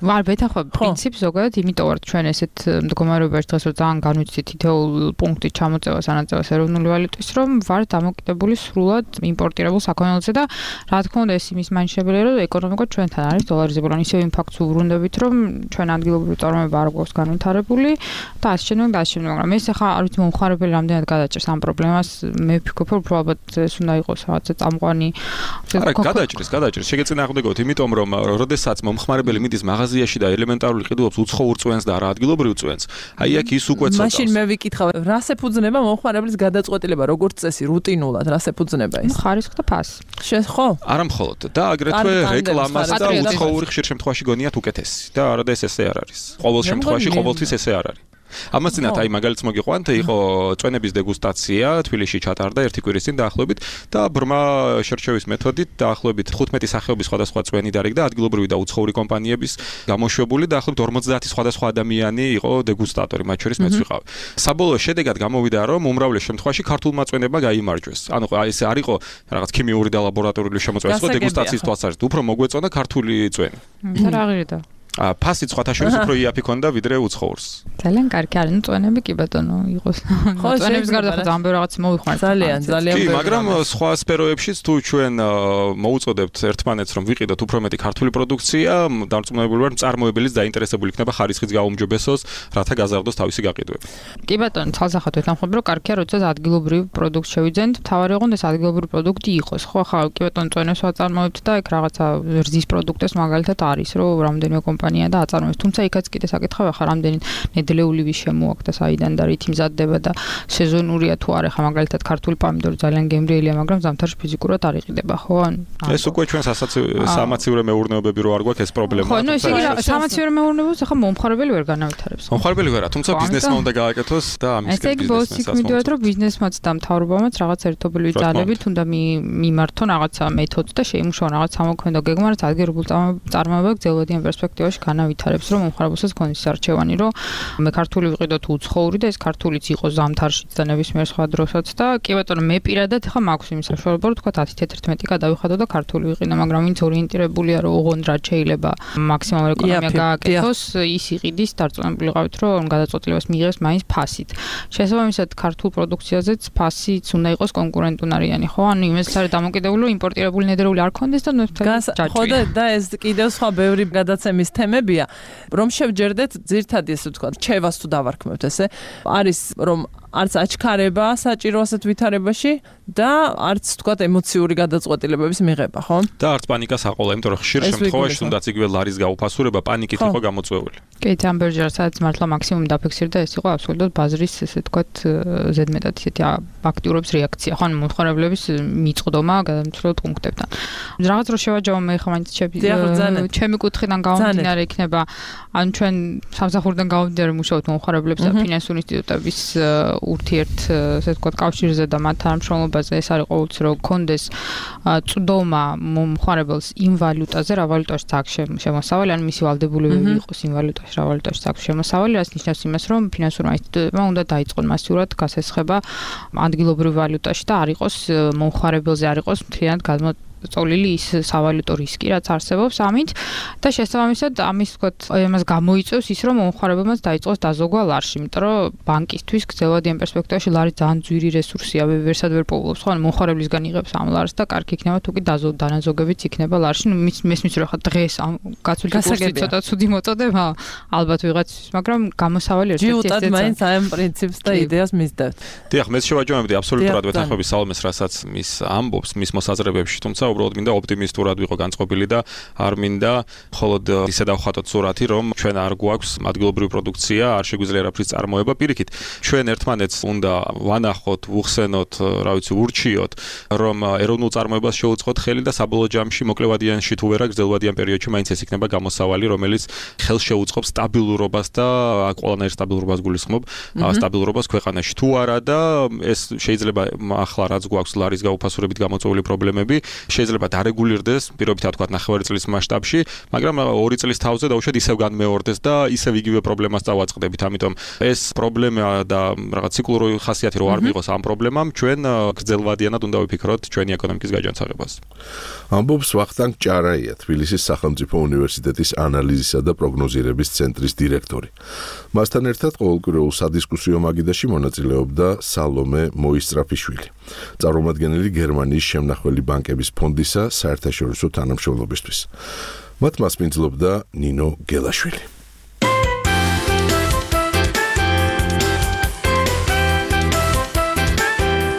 ვარ ბეთახო პრინციპი ზოგადად, იმიტომ რომ ჩვენ ესეთ მდგომარეობაში დღეს რომ ძალიან განვიცდით თითოეულ პუნქტი ჩამოწევას, ანაწევას ეროვნული ვალუტის, რომ ვარ დამოკიდებული სრულად იმპორტირებულ საქონელზე და რა თქმა უნდა ეს იმის მაინშებელია, რომ ეკონომიკა ჩვენთან არის დოლარიზებული, ან ისევ იმ ფაქტს უბრუნდებით, რომ ჩვენ ადგილობრივი წარმოება არ გვაქვს განვითარებული და ასე შემდეგ და ასე შემდეგ, მაგრამ ეს ახლა არ ვიცი მომხარებელი რამდენად გადაჭერს ამ პრობლემას, მე ვფიქრობ, რომ უფრო ალბათ ეს უნდა იყოს რაღაცა წამყვანი. არა, გადაჭერს, შეგეწინააღმდეგოთ, იმიტომ რომ როდესაც მომხმარებელი მიდის მაღაზიაში და ელემენტარული ყიდულობს უცხოურ წვენს და არა ადგილობრივ წვენს, აი აქ ის უკვე ცოტა. მაშინ მე ვიკითხავ, რას ეფუძნება მომხმარებლის გადაწყვეტილება, როგორც წესი, რუტინულად, რას ეფუძნება ეს? ხარისხი და ფასი. ხო? არა მხოლოდ და აგრეთვე რეკლამას და უცხოური ხშირ შემთხვევაში გონიათ უკეთესი და არადა ესე არ არის. ყოველ შემთხვევაში ყოველთვის ესე არ არის. ამას წინათ აი მაგალითს მოგიყვანთ, იყო წვენების დეგუსტაცია თბილისში ჩატარდა ერთი კვირის წინ დაახლოებით და ბრმა შერჩევის მეთოდით დაახლოებით 15 სახეობის სხვადასხვა წვენი დარიგდა ადგილობრივი და უცხოური კომპანიების გამოშვებული და დაახლოებით 50 სხვადასხვა ადამიანი იყო დეგუსტატორი, მათ შორის მეც ვიყავ. საბოლოო შედეგად გამოვიდა, რომ უმრავლეს შემთხვევაში ქართულმა წვენებმა გაიმარჯვეს. ანუ ეს არ იყო რაღაც ქიმიური და ლაბორატორიული შემოწმება, სხვა დეგუსტაციის თვალსაზრისით, უფრო მოგვეწონა ქართული წვენი. რა ღირდა? ფასი სხვათა შორის უფრო იაფი ქონდა ვიდრე უცხოურს. ძალიან კარგი არის, წვენები კი ბატონო იყოს. წვენების გარდა ხო ძალიან ბევრი რაღაც მოვიხმართ. ძალიან კი, მაგრამ სხვა სფეროებშიც თუ ჩვენ მოუწოდებთ ერთმანეთს რომ ვიყიდოთ უფრო მეტი ქართული პროდუქცია, დარწმუნებული ვარ, მწარმოებელიც დაინტერესებული იქნება ხარისხიც გაუმჯობესოს, რათა გაზარდოს თავისი გაყიდვები. კი ბატონო, ცალსახად ვეთანხმები, რომ კარგია, როდესაც ადგილობრივი პროდუქტი შევიძენთ, თავარი იყო ეს ადგილობრივი პროდუქტი იყოს. ხო, ხა კი ბატონო, წვენებს ვაწარმოებთ და ეგ რაღაცა რძის პროდუქტებს მაგალითად არის, რომ რამდენიმე კომპანია და აწარმოებს. თუმცა იქაც კიდე საკითხავია ხა რამდენი ნედლეულივი შემოაქვს და საიდან და რითი მზადდება და სეზონურია თუ არა, ხა მაგალითად ქართული პომიდორი ძალიან გემრიელია, მაგრამ ზამთარში ფიზიკურად არ იყიდება, ხო? ეს უკვე ჩვენ სამაცივრო მეურნეობები რო არ გვაქვს ეს პრობლემა. ხო, ნუ ეს იგი სამაცივრო მეურნეობებს ახლა მომხარებელი ვერ განავითარებს. მომხარებელი ვერა, თუმცა ბიზნესმა უნდა გააკეთოს და ამის ეს იგი ბოსიკ მიდივართ, რომ ბიზნესმაც და მთავრობამაც რაღაც ერთობლივი ძალებით უნდა მიმართონ რაღაცა მეთოდს და შეიმუშაონ რაღაც სამოქმედო გეგმა, რაც ადგილობრივ წარმოებებს გრძელვადიან პერსპექტივაში განავითარებს, რომ მომხარებელსაც ქონდეს არჩევანი, რომ მე ქართული ვიყიდოთ უცხოური და ეს ქართულიც იყოს ზამთარშიც და ნებისმიერ სხვა დროსაც და კი ბატონო მე პირადად ახლა მაქვს იმ საშუალება რომ თქვა 10-11 გადავიხადო და ქართული ვიყიდო, მაგრამ ვინც ორიენტირებულია რომ ოღონდ რა შეიძლება მაქსიმალურ ეკონომია გააკეთოს, ის იყიდის, დარწმუნებული ვიყავით რომ გადაწყვეტილებას მიიღებს მაინც ფასით. შესაბამისად ქართულ პროდუქციაზეც ფასიც უნდა იყოს კონკურენტუნარიანი, ხო? ანუ იმას არის დამოკიდებული რომ იმპორტირებული ნედრეული არ ქონდეს და ხო და ეს კიდევ სხვა ბევრი გადაცემის თემებია, რომ შევჯერდეთ ძირთადი ესე ვთქვა, ჩევას თუ დავარქმევთ ესე, არის რომ არც აჩქარება საჭირო ასეთ ვითარებაში და არც თქვათ ემოციური გადაწყვეტილებების მიღება, ხო? და არც პანიკას აყოლა, იმიტომ რომ ხშირ შემთხვევაში თუნდაც იგივე ლარის გაუფასურება პანიკით იყო გამოწვეული. კი, ამბერჯერ სადაც მართლა მაქსიმუმ დაფიქსირდა, ეს იყო აბსოლუტურად ბაზრის ესე თქვათ ზედმეტად ისეთი აქტიურობის რეაქცია, ხო, მომხმარებლების მიწყდომა გადამცვლელ პუნქტებთან. რაღაც რო შევაჯამო მე ხა მაინც ჩემი კუთხიდან გამომდინარე იქნება, ან ჩვენ სამსახურიდან გამომდინარე მუშაობთ მომხმარებლებს და ფინანსური ინსტიტუტების ურთიერთ ესე ვთქვათ კავშირზე და მათ თანამშრომლობაზე ეს არის ყოველთვის რომ გქონდეს წვდომა მომხმარებელს იმ ვალუტაზე, რა ვალუტაშიც აქვს შემოსავალი, ან მისი ვალდებულებები იყოს იმ ვალუტაში, რა ვალუტაშიც აქვს შემოსავალი, რაც ნიშნავს იმას, რომ ფინანსურმა ინსტიტუტებმა უნდა დაიწყონ მასიურად გასესხება ადგილობრივ ვალუტაში და არ იყოს მომხმარებელზე არ იყოს მთლიანად წოლილი ის სავალუტო რისკი, რაც არსებობს ამით და შესაბამისად ამის ვთქვათ, ამას გამოიწვევს ის, რომ მომხმარებელმაც დაიწყოს დაზოგვა ლარში, იმიტომ რომ ბანკისთვის გრძელვადიან პერსპექტივაში ლარი ძალიან ძვირი რესურსია, ვერსად ვერ პოულობს, ხო, მომხმარებლისგან იღებს ამ ლარს და კარგი იქნება თუ კი დანაზოგებიც იქნება ლარში, ნუ მესმის რომ ხა დღეს ამ გაცვლილი კურსი ცოტა ცუდი მოწოდება, ალბათ ვიღაცის, მაგრამ გამოსავალი ერთ-ერთი ჯიუტად მაინც ამ პრინციპს და იდეას მისდევთ. დიახ, მე შევაჯამებდი აბსოლუტურად ვეთანხმები სალომეს, რასაც მის ამბობს, მის მოსაზრებებში, თუმცა უბრალოდ მინდა ოპტიმისტურად ვიყო განწყობილი და არ მინდა მხოლოდ ისე დავხატოთ სურათი, რომ ჩვენ არ გვაქვს ადგილობრივი პროდუქცია, არ შეგვიძლია არაფრის წარმოება. პირიქით, ჩვენ ერთმანეთს უნდა ვანახოთ, ვუხსენოთ, რა ვიცი, ურჩიოთ, რომ ეროვნულ წარმოებას შეუწყოთ ხელი და საბოლოო ჯამში მოკლევადიანში თუ ვერა გრძელვადიან პერიოდში მაინც ეს იქნება გამოსავალი, რომელიც ხელს შეუწყობს სტაბილურობას და ყველანაირ სტაბილურობას გულისხმობ, სტაბილურობას ქვეყანაში. თუ არა და ეს შეიძლება ახლა რაც გვაქვს ლარის გაუფასურებით გამოწვეული პრობლემები, შეიძლება დარეგულირდეს, პირობითად ვთქვათ, ნახევარი წლის მასშტაბში, მაგრამ 2 წლის თავზე დაუშვათ ისევ განმეორდეს და ისევ იგივე პრობლემას დავაწყდებით. ამიტომ ეს პრობლემა და რაღაც ციკლური ხასიათი რო არ მიიღოს ამ პრობლემამ, ჩვენ გრძელვადიანად უნდა ვიფიქროთ ჩვენი ეკონომიკის გაჯანსაღებას. ამბობს ვახტანგ ჭარაია, თბილისის სახელმწიფო უნივერსიტეტის ანალიზისა და პროგნოზირების ცენტრის დირექტორი. მასთან ერთად ყოველკვირეულ სადისკუსიო მაგიდაში მონაწილეობდა სალომე მოისწრაფიშვილი, წარმომადგენელი გერმანიის შემნახველი ბანკების ფონდისა საერთაშორისო თანამშრომლობისთვის. მათ მასპინძლობდა ნინო გელაშვილი.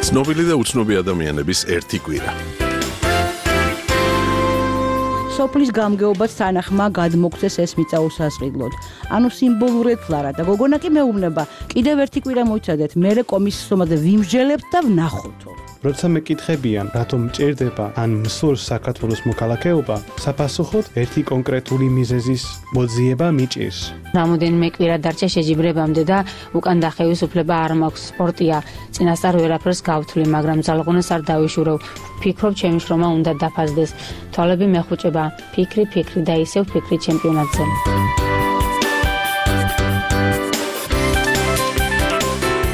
ცნობილი და უცნობი ადამიანების ერთი კვირა. სოფლის გამგეობაც თანახმა გადმოგცეს ეს მიწა უსასყიდლოდ. ანუ სიმბოლურად ლარა და გოგონა კი მეუბნება, კიდევ ერთი კვირა მოიცადეთ, მერე კომისიის ომაზე ვიმსჯელებთ და ვნახოთო. როცა მეკითხებიან, რატომ მჭირდება ან მსურს საქართველოს მოქალაქეობა, საფასუხოდ ერთი კონკრეტული მიზეზის მოძიება მიჭირს. რამოდენიმე კვირა დარჩა შეჯიბრებამდე და უკან დახევის უფლება არ მაქვს. სპორტია, წინასწარ ვერაფერს გავთვლი, მაგრამ ძალღონას არ დავიშურევ. ვფიქრობ, ჩემი შრომა უნდა დაფასდეს. თვალები მეხუჭება, ფიქრი და ისევ ფიქრი ჩემპიონატზე.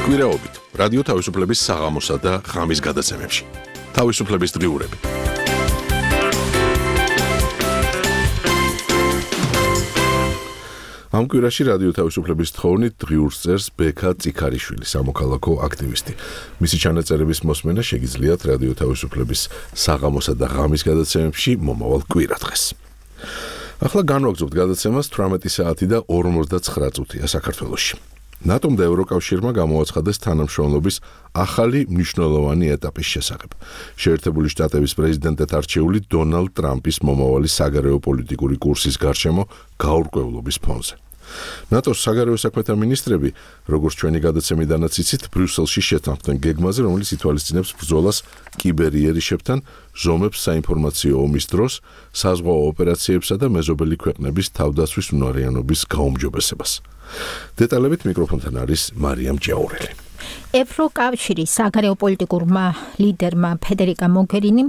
კვირაობით რადიო თავისუფლების საღამოსა და ღამის გადაცემებში. თავისუფლების დღიურები. ამ კვირაში რადიო თავისუფლების თხოვნით დღიურს წერს ბექა წიქარიშვილი, სამოქალაქო აქტივისტი. მისი ჩანაწერების მოსმენა შეგიძლიათ რადიო თავისუფლების საღამოსა და ღამის გადაცემებში მომავალ კვირადღეს. ახლა განვაგრძობთ გადაცემას 18 საათი და 59 წუთია საქართველოში. ნატომ და ევროკავშირმა გამოაცხადეს თანამშრომლობის ახალი მნიშვნელოვანი ეტაპის შესახებ. შეერთებული შტატების პრეზიდენტად არჩეული დონალდ ტრამპის მომავალი საგარეო პოლიტიკური კურსის გარშემო გაურკვევლობის ფონზე. ნატოს საგარეო საქმეთა მინისტრები, როგორც ჩვენი გადაცემიდანაც იცით, ბრიუსელში შეთანხმდნენ გეგმაზე, რომელიც ითვალისწინებს ბრძოლას კიბერიერიშებთან, ზომებს საინფორმაციო ომის დროს, საზღვაო ოპერაციებსა და მეზობელი ქვეყნების თავდაცვის უნარიანობის გაუმჯობესებას. დეტალებით მიკროფონთან არის მარიამ ჯაურელი. ევროკავშირის საგარეო პოლიტიკურმა ლიდერმა ფედერიკა მოგერინიმ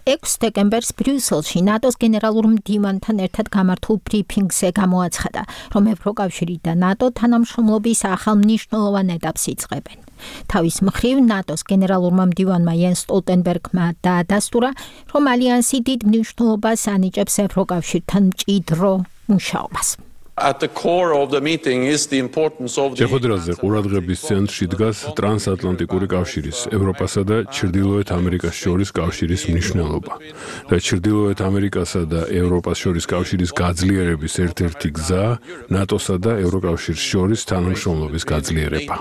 6 დეკემბერს ბრიუსელში ნატოს გენერალურ მდივანთან ერთად გამართულ ბრიფინგზე გამოაცხადა, რომ ევროკავშირი და ნატო თანამშრომლობის ახალ მნიშვნელოვან ეტაპს იწყებენ. თავის მხრივ ნატოს გენერალურმა მდივანმა იენს სტოლტენბერგმა დაადასტურა, რომ ალიანსი დიდ მნიშვნელობას ანიჭებს ევროკავშირთან მჭიდრო მუშაობას. At the core of the meeting is the importance of the შეხვედრაზე ყურადღების ცენტრში დგას ტრანსატლანტიკური კავშირის, ევროპასა და ჩრდილოეთ ამერიკას შორის კავშირის მნიშვნელობა. და ჩრდილოეთ ამერიკასა და ევროპას შორის კავშირის გაძლიერების ერთ-ერთი გზა ნატოსა და ევროკავშირის შორის თანამშრომლობის გაძლიერება.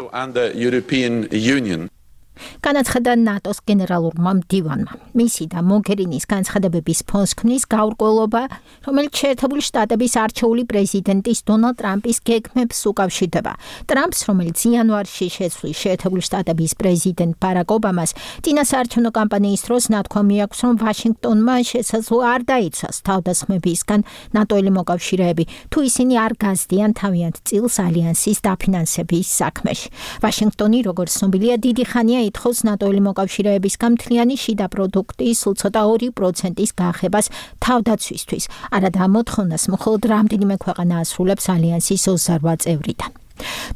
განაცხადა ნატოს გენერალურმა მდივანმა. მისი და მოგერინის განცხადებების ფონს ქმნის გაურკვევლობა, რომელიც შეერთებული შტატების არჩეული პრეზიდენტის დონალდ ტრამპის გეგმებს უკავშირდება. ტრამპს, რომელიც იანვარში შეცვლის შეერთებული შტატების პრეზიდენტ ბარაკ ობამას, წინასაარჩევნო კამპანიის დროს ნათქვამი აქვს, რომ ვაშინგტონმა შესაძლოა არ დაიცვას თავდასხმებისგან ნატოელი მოკავშირეები, თუ ისინი არ გაზდიან თავიანთ წილს ალიანსის დაფინანსების საქმეში. ვაშინგტონი, როგორც ცნობილია, დიდი ხანია ითხოვს ნატოელი მოკავშირეებისგან მთლიანი შიდა პროდუქტის სულ ცოტა 2%-ის გახებას თავდაცვისთვის. არადა მოთხოვნას მხოლოდ რამდენიმე ქვეყანა ასრულებს ალიანსის 28 წევრიდან.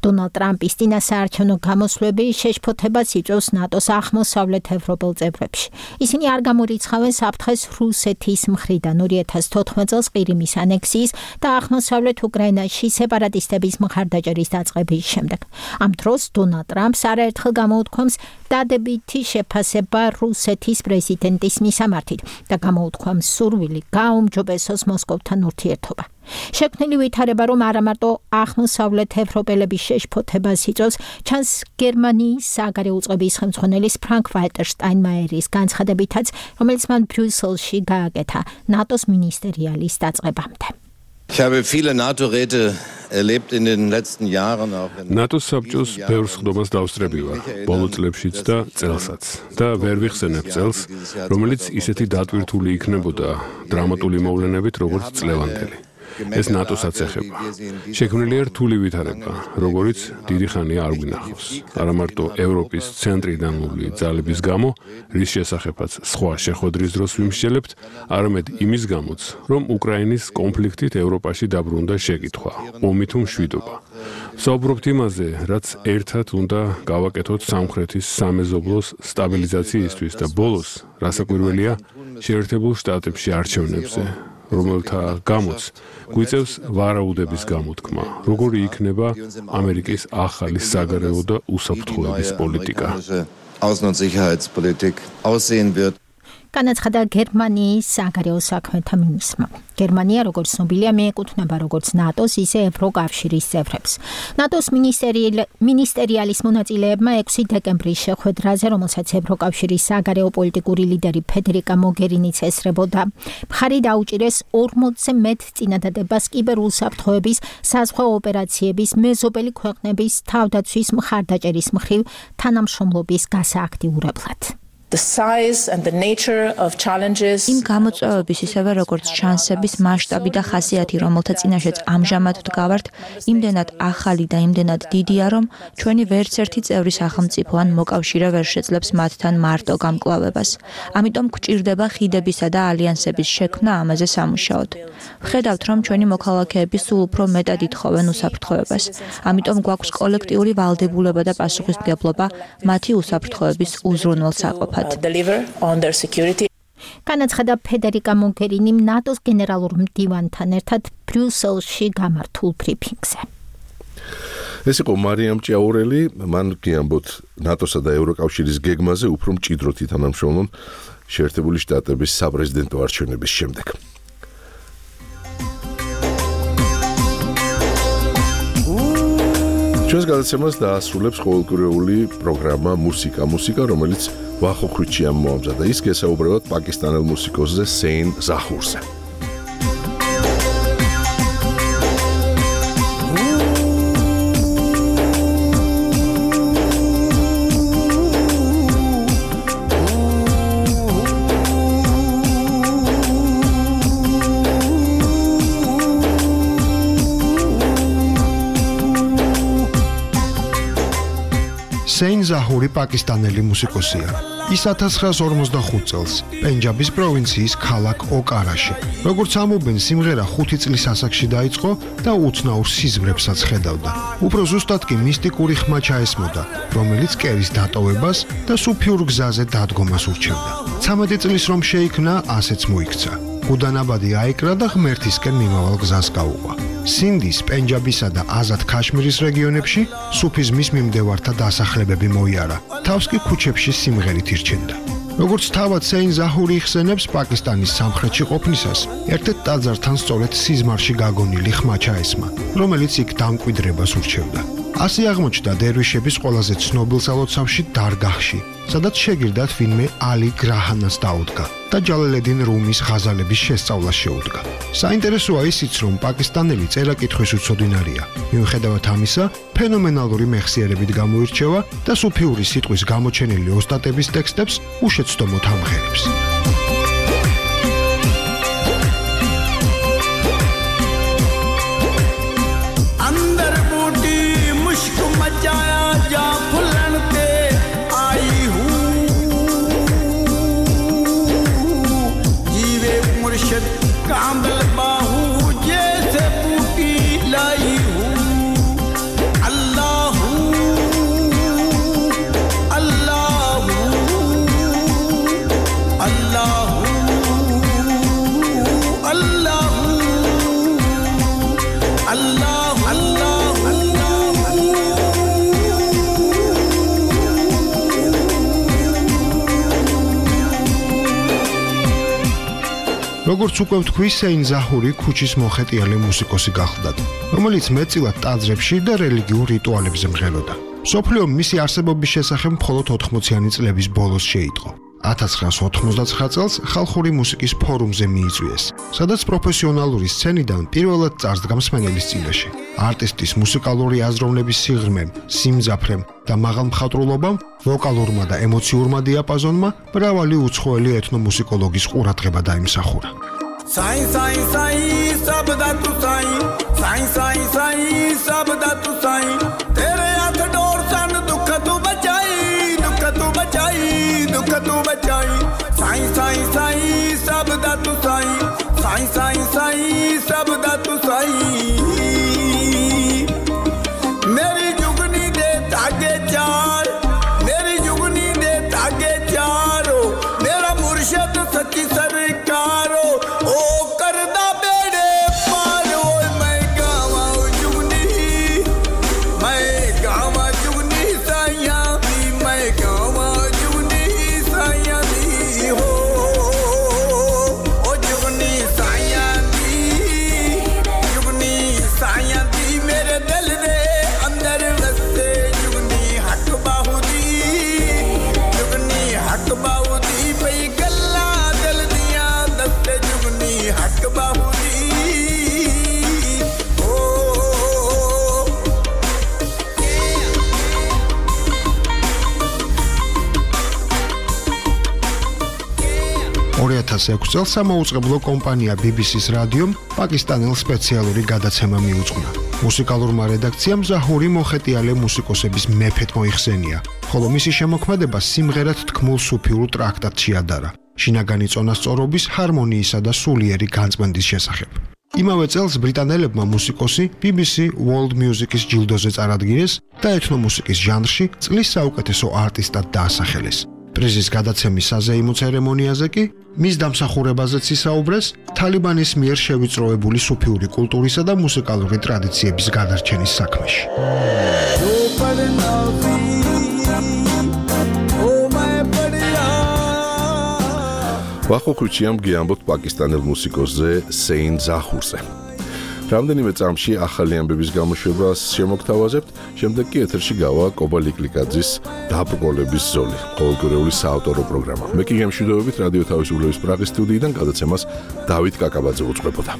დონალდ ტრამპის წინასაარჩევნო გამოსვლები შეშფოთებას იწვევს ნატოს აღმოსავლეთ ევროპელ წევრებში. ისინი არ გამორიცხავენ საფრთხეს რუსეთის მხრიდან 2014 წელს ყირიმის ანექსიის და აღმოსავლეთ უკრაინაში სეპარატისტების მხარდაჭერის დაწყების შემდეგ. ამ დროს დონალდ ტრამპს არაერთხელ გამოუთქვამს დადებითი შეფასება რუსეთის პრეზიდენტის მისამართით და გამოუთქვამს სურვილი გააუმჯობესოს მოსკოვთან ურთიერთობა. შექმნილი ვითარება, რომ არა მარტო აღმოსავლეთ ევროპელების შეშფოთებას იწვევს, ჩანს გერმანიის საგარეო უწყების ხელმძღვანელის Frank-Walter Steinmeieris განცხადებითაც, რომელიც მან ბრიუსელში გააკეთა ნატოს მინისტერიალის დაწყებამდე. Ich habe viele NATO-Räte erlebt in den letzten Jahren auch in NATO-s საბჭოს ბევრ ხდომას დავსწრები ვარ, ბოლო წლებშიც და წელსაც. და ვერ ვიხსენებ წელს, რომელიც ისეთი დატვირთული იქნებოდა დრამატული მოვლენებით, როგორც წლევანდელი. ეს ნატოსაც ეხება. შექმნილია რთული ვითარება, როგორც დიდი ხანია არ გვინახავს. არა მარტო ევროპის ცენტრიდან მოვლი ძალების გამო, რის შესახებაც სხვა შეხვედრის დროს ვიმსჯელებთ, არამედ იმის გამოც, რომ უკრაინის კონფლიქტით ევროპაში დაბრუნდა შეკითხვა, ომი თუ მშვიდობა. საუბრობთ იმაზე, რაც ერთად უნდა გავაკეთოთ სამხრეთის სამეზობლოს სტაბილიზაციისთვის და ბოლოს, რასაკვირველია, შეერთებულ შტატებში არჩევნებზე. რომელთა გამოც გვიწევს ვარაუდების გამოთქმა, როგორი იქნება ამერიკის ახალი საგარეო და უსაფრთხოების პოლიტიკა. Außen- und Sicherheitspolitik aussehen wird. განაცხადა გერმანიის საგარეო საქმეთა მინისტრმა. გერმანია, როგორც ცნობილია, მიეკუთვნება როგორც ნატოს, ისე ევროკავშირის წევრებს. ნატოს მინისტერიალის მონაწილეებმა 6 დეკემბრის შეხვედრაზე, რომელსაც ევროკავშირის საგარეო პოლიტიკური ლიდერი ფედერიკა მოგერინიც ესწრებოდა, მხარი დაუჭირეს 40-ზე მეტ წინადადებას კიბერუსაფრთხოების, საზღვაო ოპერაციების, მეზობელი ქვეყნების თავდაცვის მხარდაჭერის მხრივ თანამშრომლობის გასააქტიურებლად. იმ გამოწვევების ისევე როგორც შანსების მასშტაბი და ხასიათი, რომელთა წინაშეც ამჟამად ვდგავართ, იმდენად ახალი და იმდენად დიდია, რომ ჩვენი ვერც ერთი წევრი სახელმწიფო ან მოკავშირე ვერ შეძლებს მათთან მარტო გამკლავებას. ამიტომ გვჭირდება ხიდებისა და ალიანსების შექმნა ამაზე სამუშაოდ. ვხედავთ, რომ ჩვენი მოქალაქეები სულ უფრო მეტად ითხოვენ უსაფრთხოებას. ამიტომ გვაქვს კოლექტიური ვალდებულება და პასუხისმგებლობა მათი უსაფრთხოების უზრუნველსაყოფად. განაცხადა ფედერიკა მოგერინიმ ნატოს გენერალურ მდივანთან ერთად ბრიუსელში გამართულ ბრიფინგზე. ეს იყო მარიამ ჭიაურელი, მან გიამბოთ ნატოსა და ევროკავშირის გეგმაზე უფრო მჭიდროდ ითანამშრომლონ შეერთებული შტატების საპრეზიდენტო არჩევნების შემდეგ. ჩვენს გადაცემას დაასრულებს ყოველკვირეული პროგრამა მუსიკა, რომელიც ვახოქვიჩი ამოამზადა. ის გესაუბრებათ პაკისტანელ მუსიკოსზე სეინ ზაჰურზე. სეინ ზაჰური პაკისტანელი მუსიკოსია. ის 1945 წელს პენჯაბის პროვინციის ქალაქ ოკარაში, როგორც ამობენ, სიმღერა 5 წლის ასაკში დაიწყო და უცნაურ სიზმრებსაც ხედავდა. უფრო ზუსტად კი მისტიკური ხმა ჩაესმოდა, რომელიც კერის დატოვებას და სუფიურ გზაზე დადგომას ურჩევდა. 13 წლის რომ შეიქმნა, ასეც მოიქცა. გუდანაბადი აიკრა და ღმერთისკენ მიმავალ გზას გაუყვა. სინდის, პენჯაბისა და აზად ქაშმირის რეგიონებში სუფიზმის მიმდევართა დასახლებები მოიარა. თავს კი ქუჩებში სიმღერით ირჩენდა. როგორც თავად სეინ ზაჰური იხსენებს, პაკისტანის სამხრეთში ყოფნისას ერთ-ერთ ტაძართან სწორედ სიზმარში გაგონილი ხმა ჩაესმა, რომელიც იქ დამკვიდრებას ურჩევდა. ასე აღმოჩნდა დერვიშების ყველაზე ცნობილ სალოცავში დარგაჰში, სადაც შეგირდათ ვინმე ალი გრაჰანას დაუდგა და ჯალალედინ რუმის ღაზალების შესწავლას შეუდგა. საინტერესოა ისიც, რომ პაკისტანელი წერა-კითხვის უცოდინარია. მიუხედავად ამისა, ფენომენალური მეხსიერებით გამოირჩევა და სუფიური სიტყვის გამოჩენილი ოსტატების ტექსტებს უშეცდომოდ ამღერებს. როგორც უკვე ვთქვი, სეინ ზაჰური ქუჩის მოხეტიალე მუსიკოსი გახლდათ, რომელიც მეტწილად ტაძრებში და რელიგიურ რიტუალებზე მღეროდა. მსოფლიო მისი არსებობის შესახებ მხოლოდ 80-იანი წლების ბოლოს შეიტყო. 1999 წელს ხალხური მუსიკის ფორუმზე მიიწვიეს, სადაც პროფესიონალური სცენიდან პირველად წარსდგა მსმენელის წინაშე. არტისტის მუსიკალური აზროვნების სიღრმემ, სიმძაფრემ და მაღალ მხატვრულობამ, ვოკალურმა და ემოციურმა დიაპაზონმა მრავალი უცხოელი ეთნომუსიკოლოგის ყურადღება დაიმსახურა. साईं साईं साईं सब दा तू साईं साईं साईं साईं सब दा तू साईं तेरे हाथ डोर सन दुख तू बचाई साईं साईं साईं सब दा तू साईं साईं साईं साईं सब दा तू साईं मेरी जुगनी दे धागे चार मेरी जुगनी दे धागे चारो मेरा मुर्शिद सच्ची सरकारो ओ करदा बेड़े पारो मैं गावा जुगनी साया भी मैं गावा जुगनी साया भी हो ओ जुगनी साया दी मेरे दिल दे अंदर वसते जुगनी हक बाहु दी पई गल्ला दिल दिया दस्ते जुगनी हक बाहु दी ओ 2006 წელს სამაუწყებლო კომპანია BBC-ს რადიომ პაკისტანელ სპეციალური გადაცემა მიუძღვნა. მუსიკალურმა რედაქციამ ზაჰური მოხეტიალე მუსიკოსების მეფედ მოიხსენია, ხოლო მისი შემოქმედება სიმღერად თქმულ სუფიურ ტრაქტატში ადარა, შინაგანი წონასწორობის, ჰარმონიისა და სულიერი განწმენდის შესახებ. იმავე წელს ბრიტანელებმა მუსიკოსი BBC World Music-ის ჯილდოზე წარადგინეს და ეთნომუსიკის ჟანრში წლის საუკეთესო არტისტად დაასახელეს. პრიზის გადაცემის საზეიმო ცერემონიაზე კი მის დამსახურებაზეც ისაუბრეს თალიბანის მიერ შევიწროებული სუფიური კულტურისა და მუსიკალური ტრადიციების გადარჩენის საქმეში. ვახოხუჩიამ გიამბოთ პაკისტანელ მუსიკოსზე სეინ ზაჰურზე. რამდენიმე წამში ახალი ამბების გამოშვებას შემოგთავაზებთ, შემდეგ კი ეთერში გავა კობა ლიკლიკაძის დაბრკოლების ზოლი, ყოველკვირეული საავტორო პროგრამა. მე კი გემშვიდობებით რადიო თავისუფლების პრაღის სტუდიიდან გადაცემას დავით კაკაბაძე უძღვებოდა.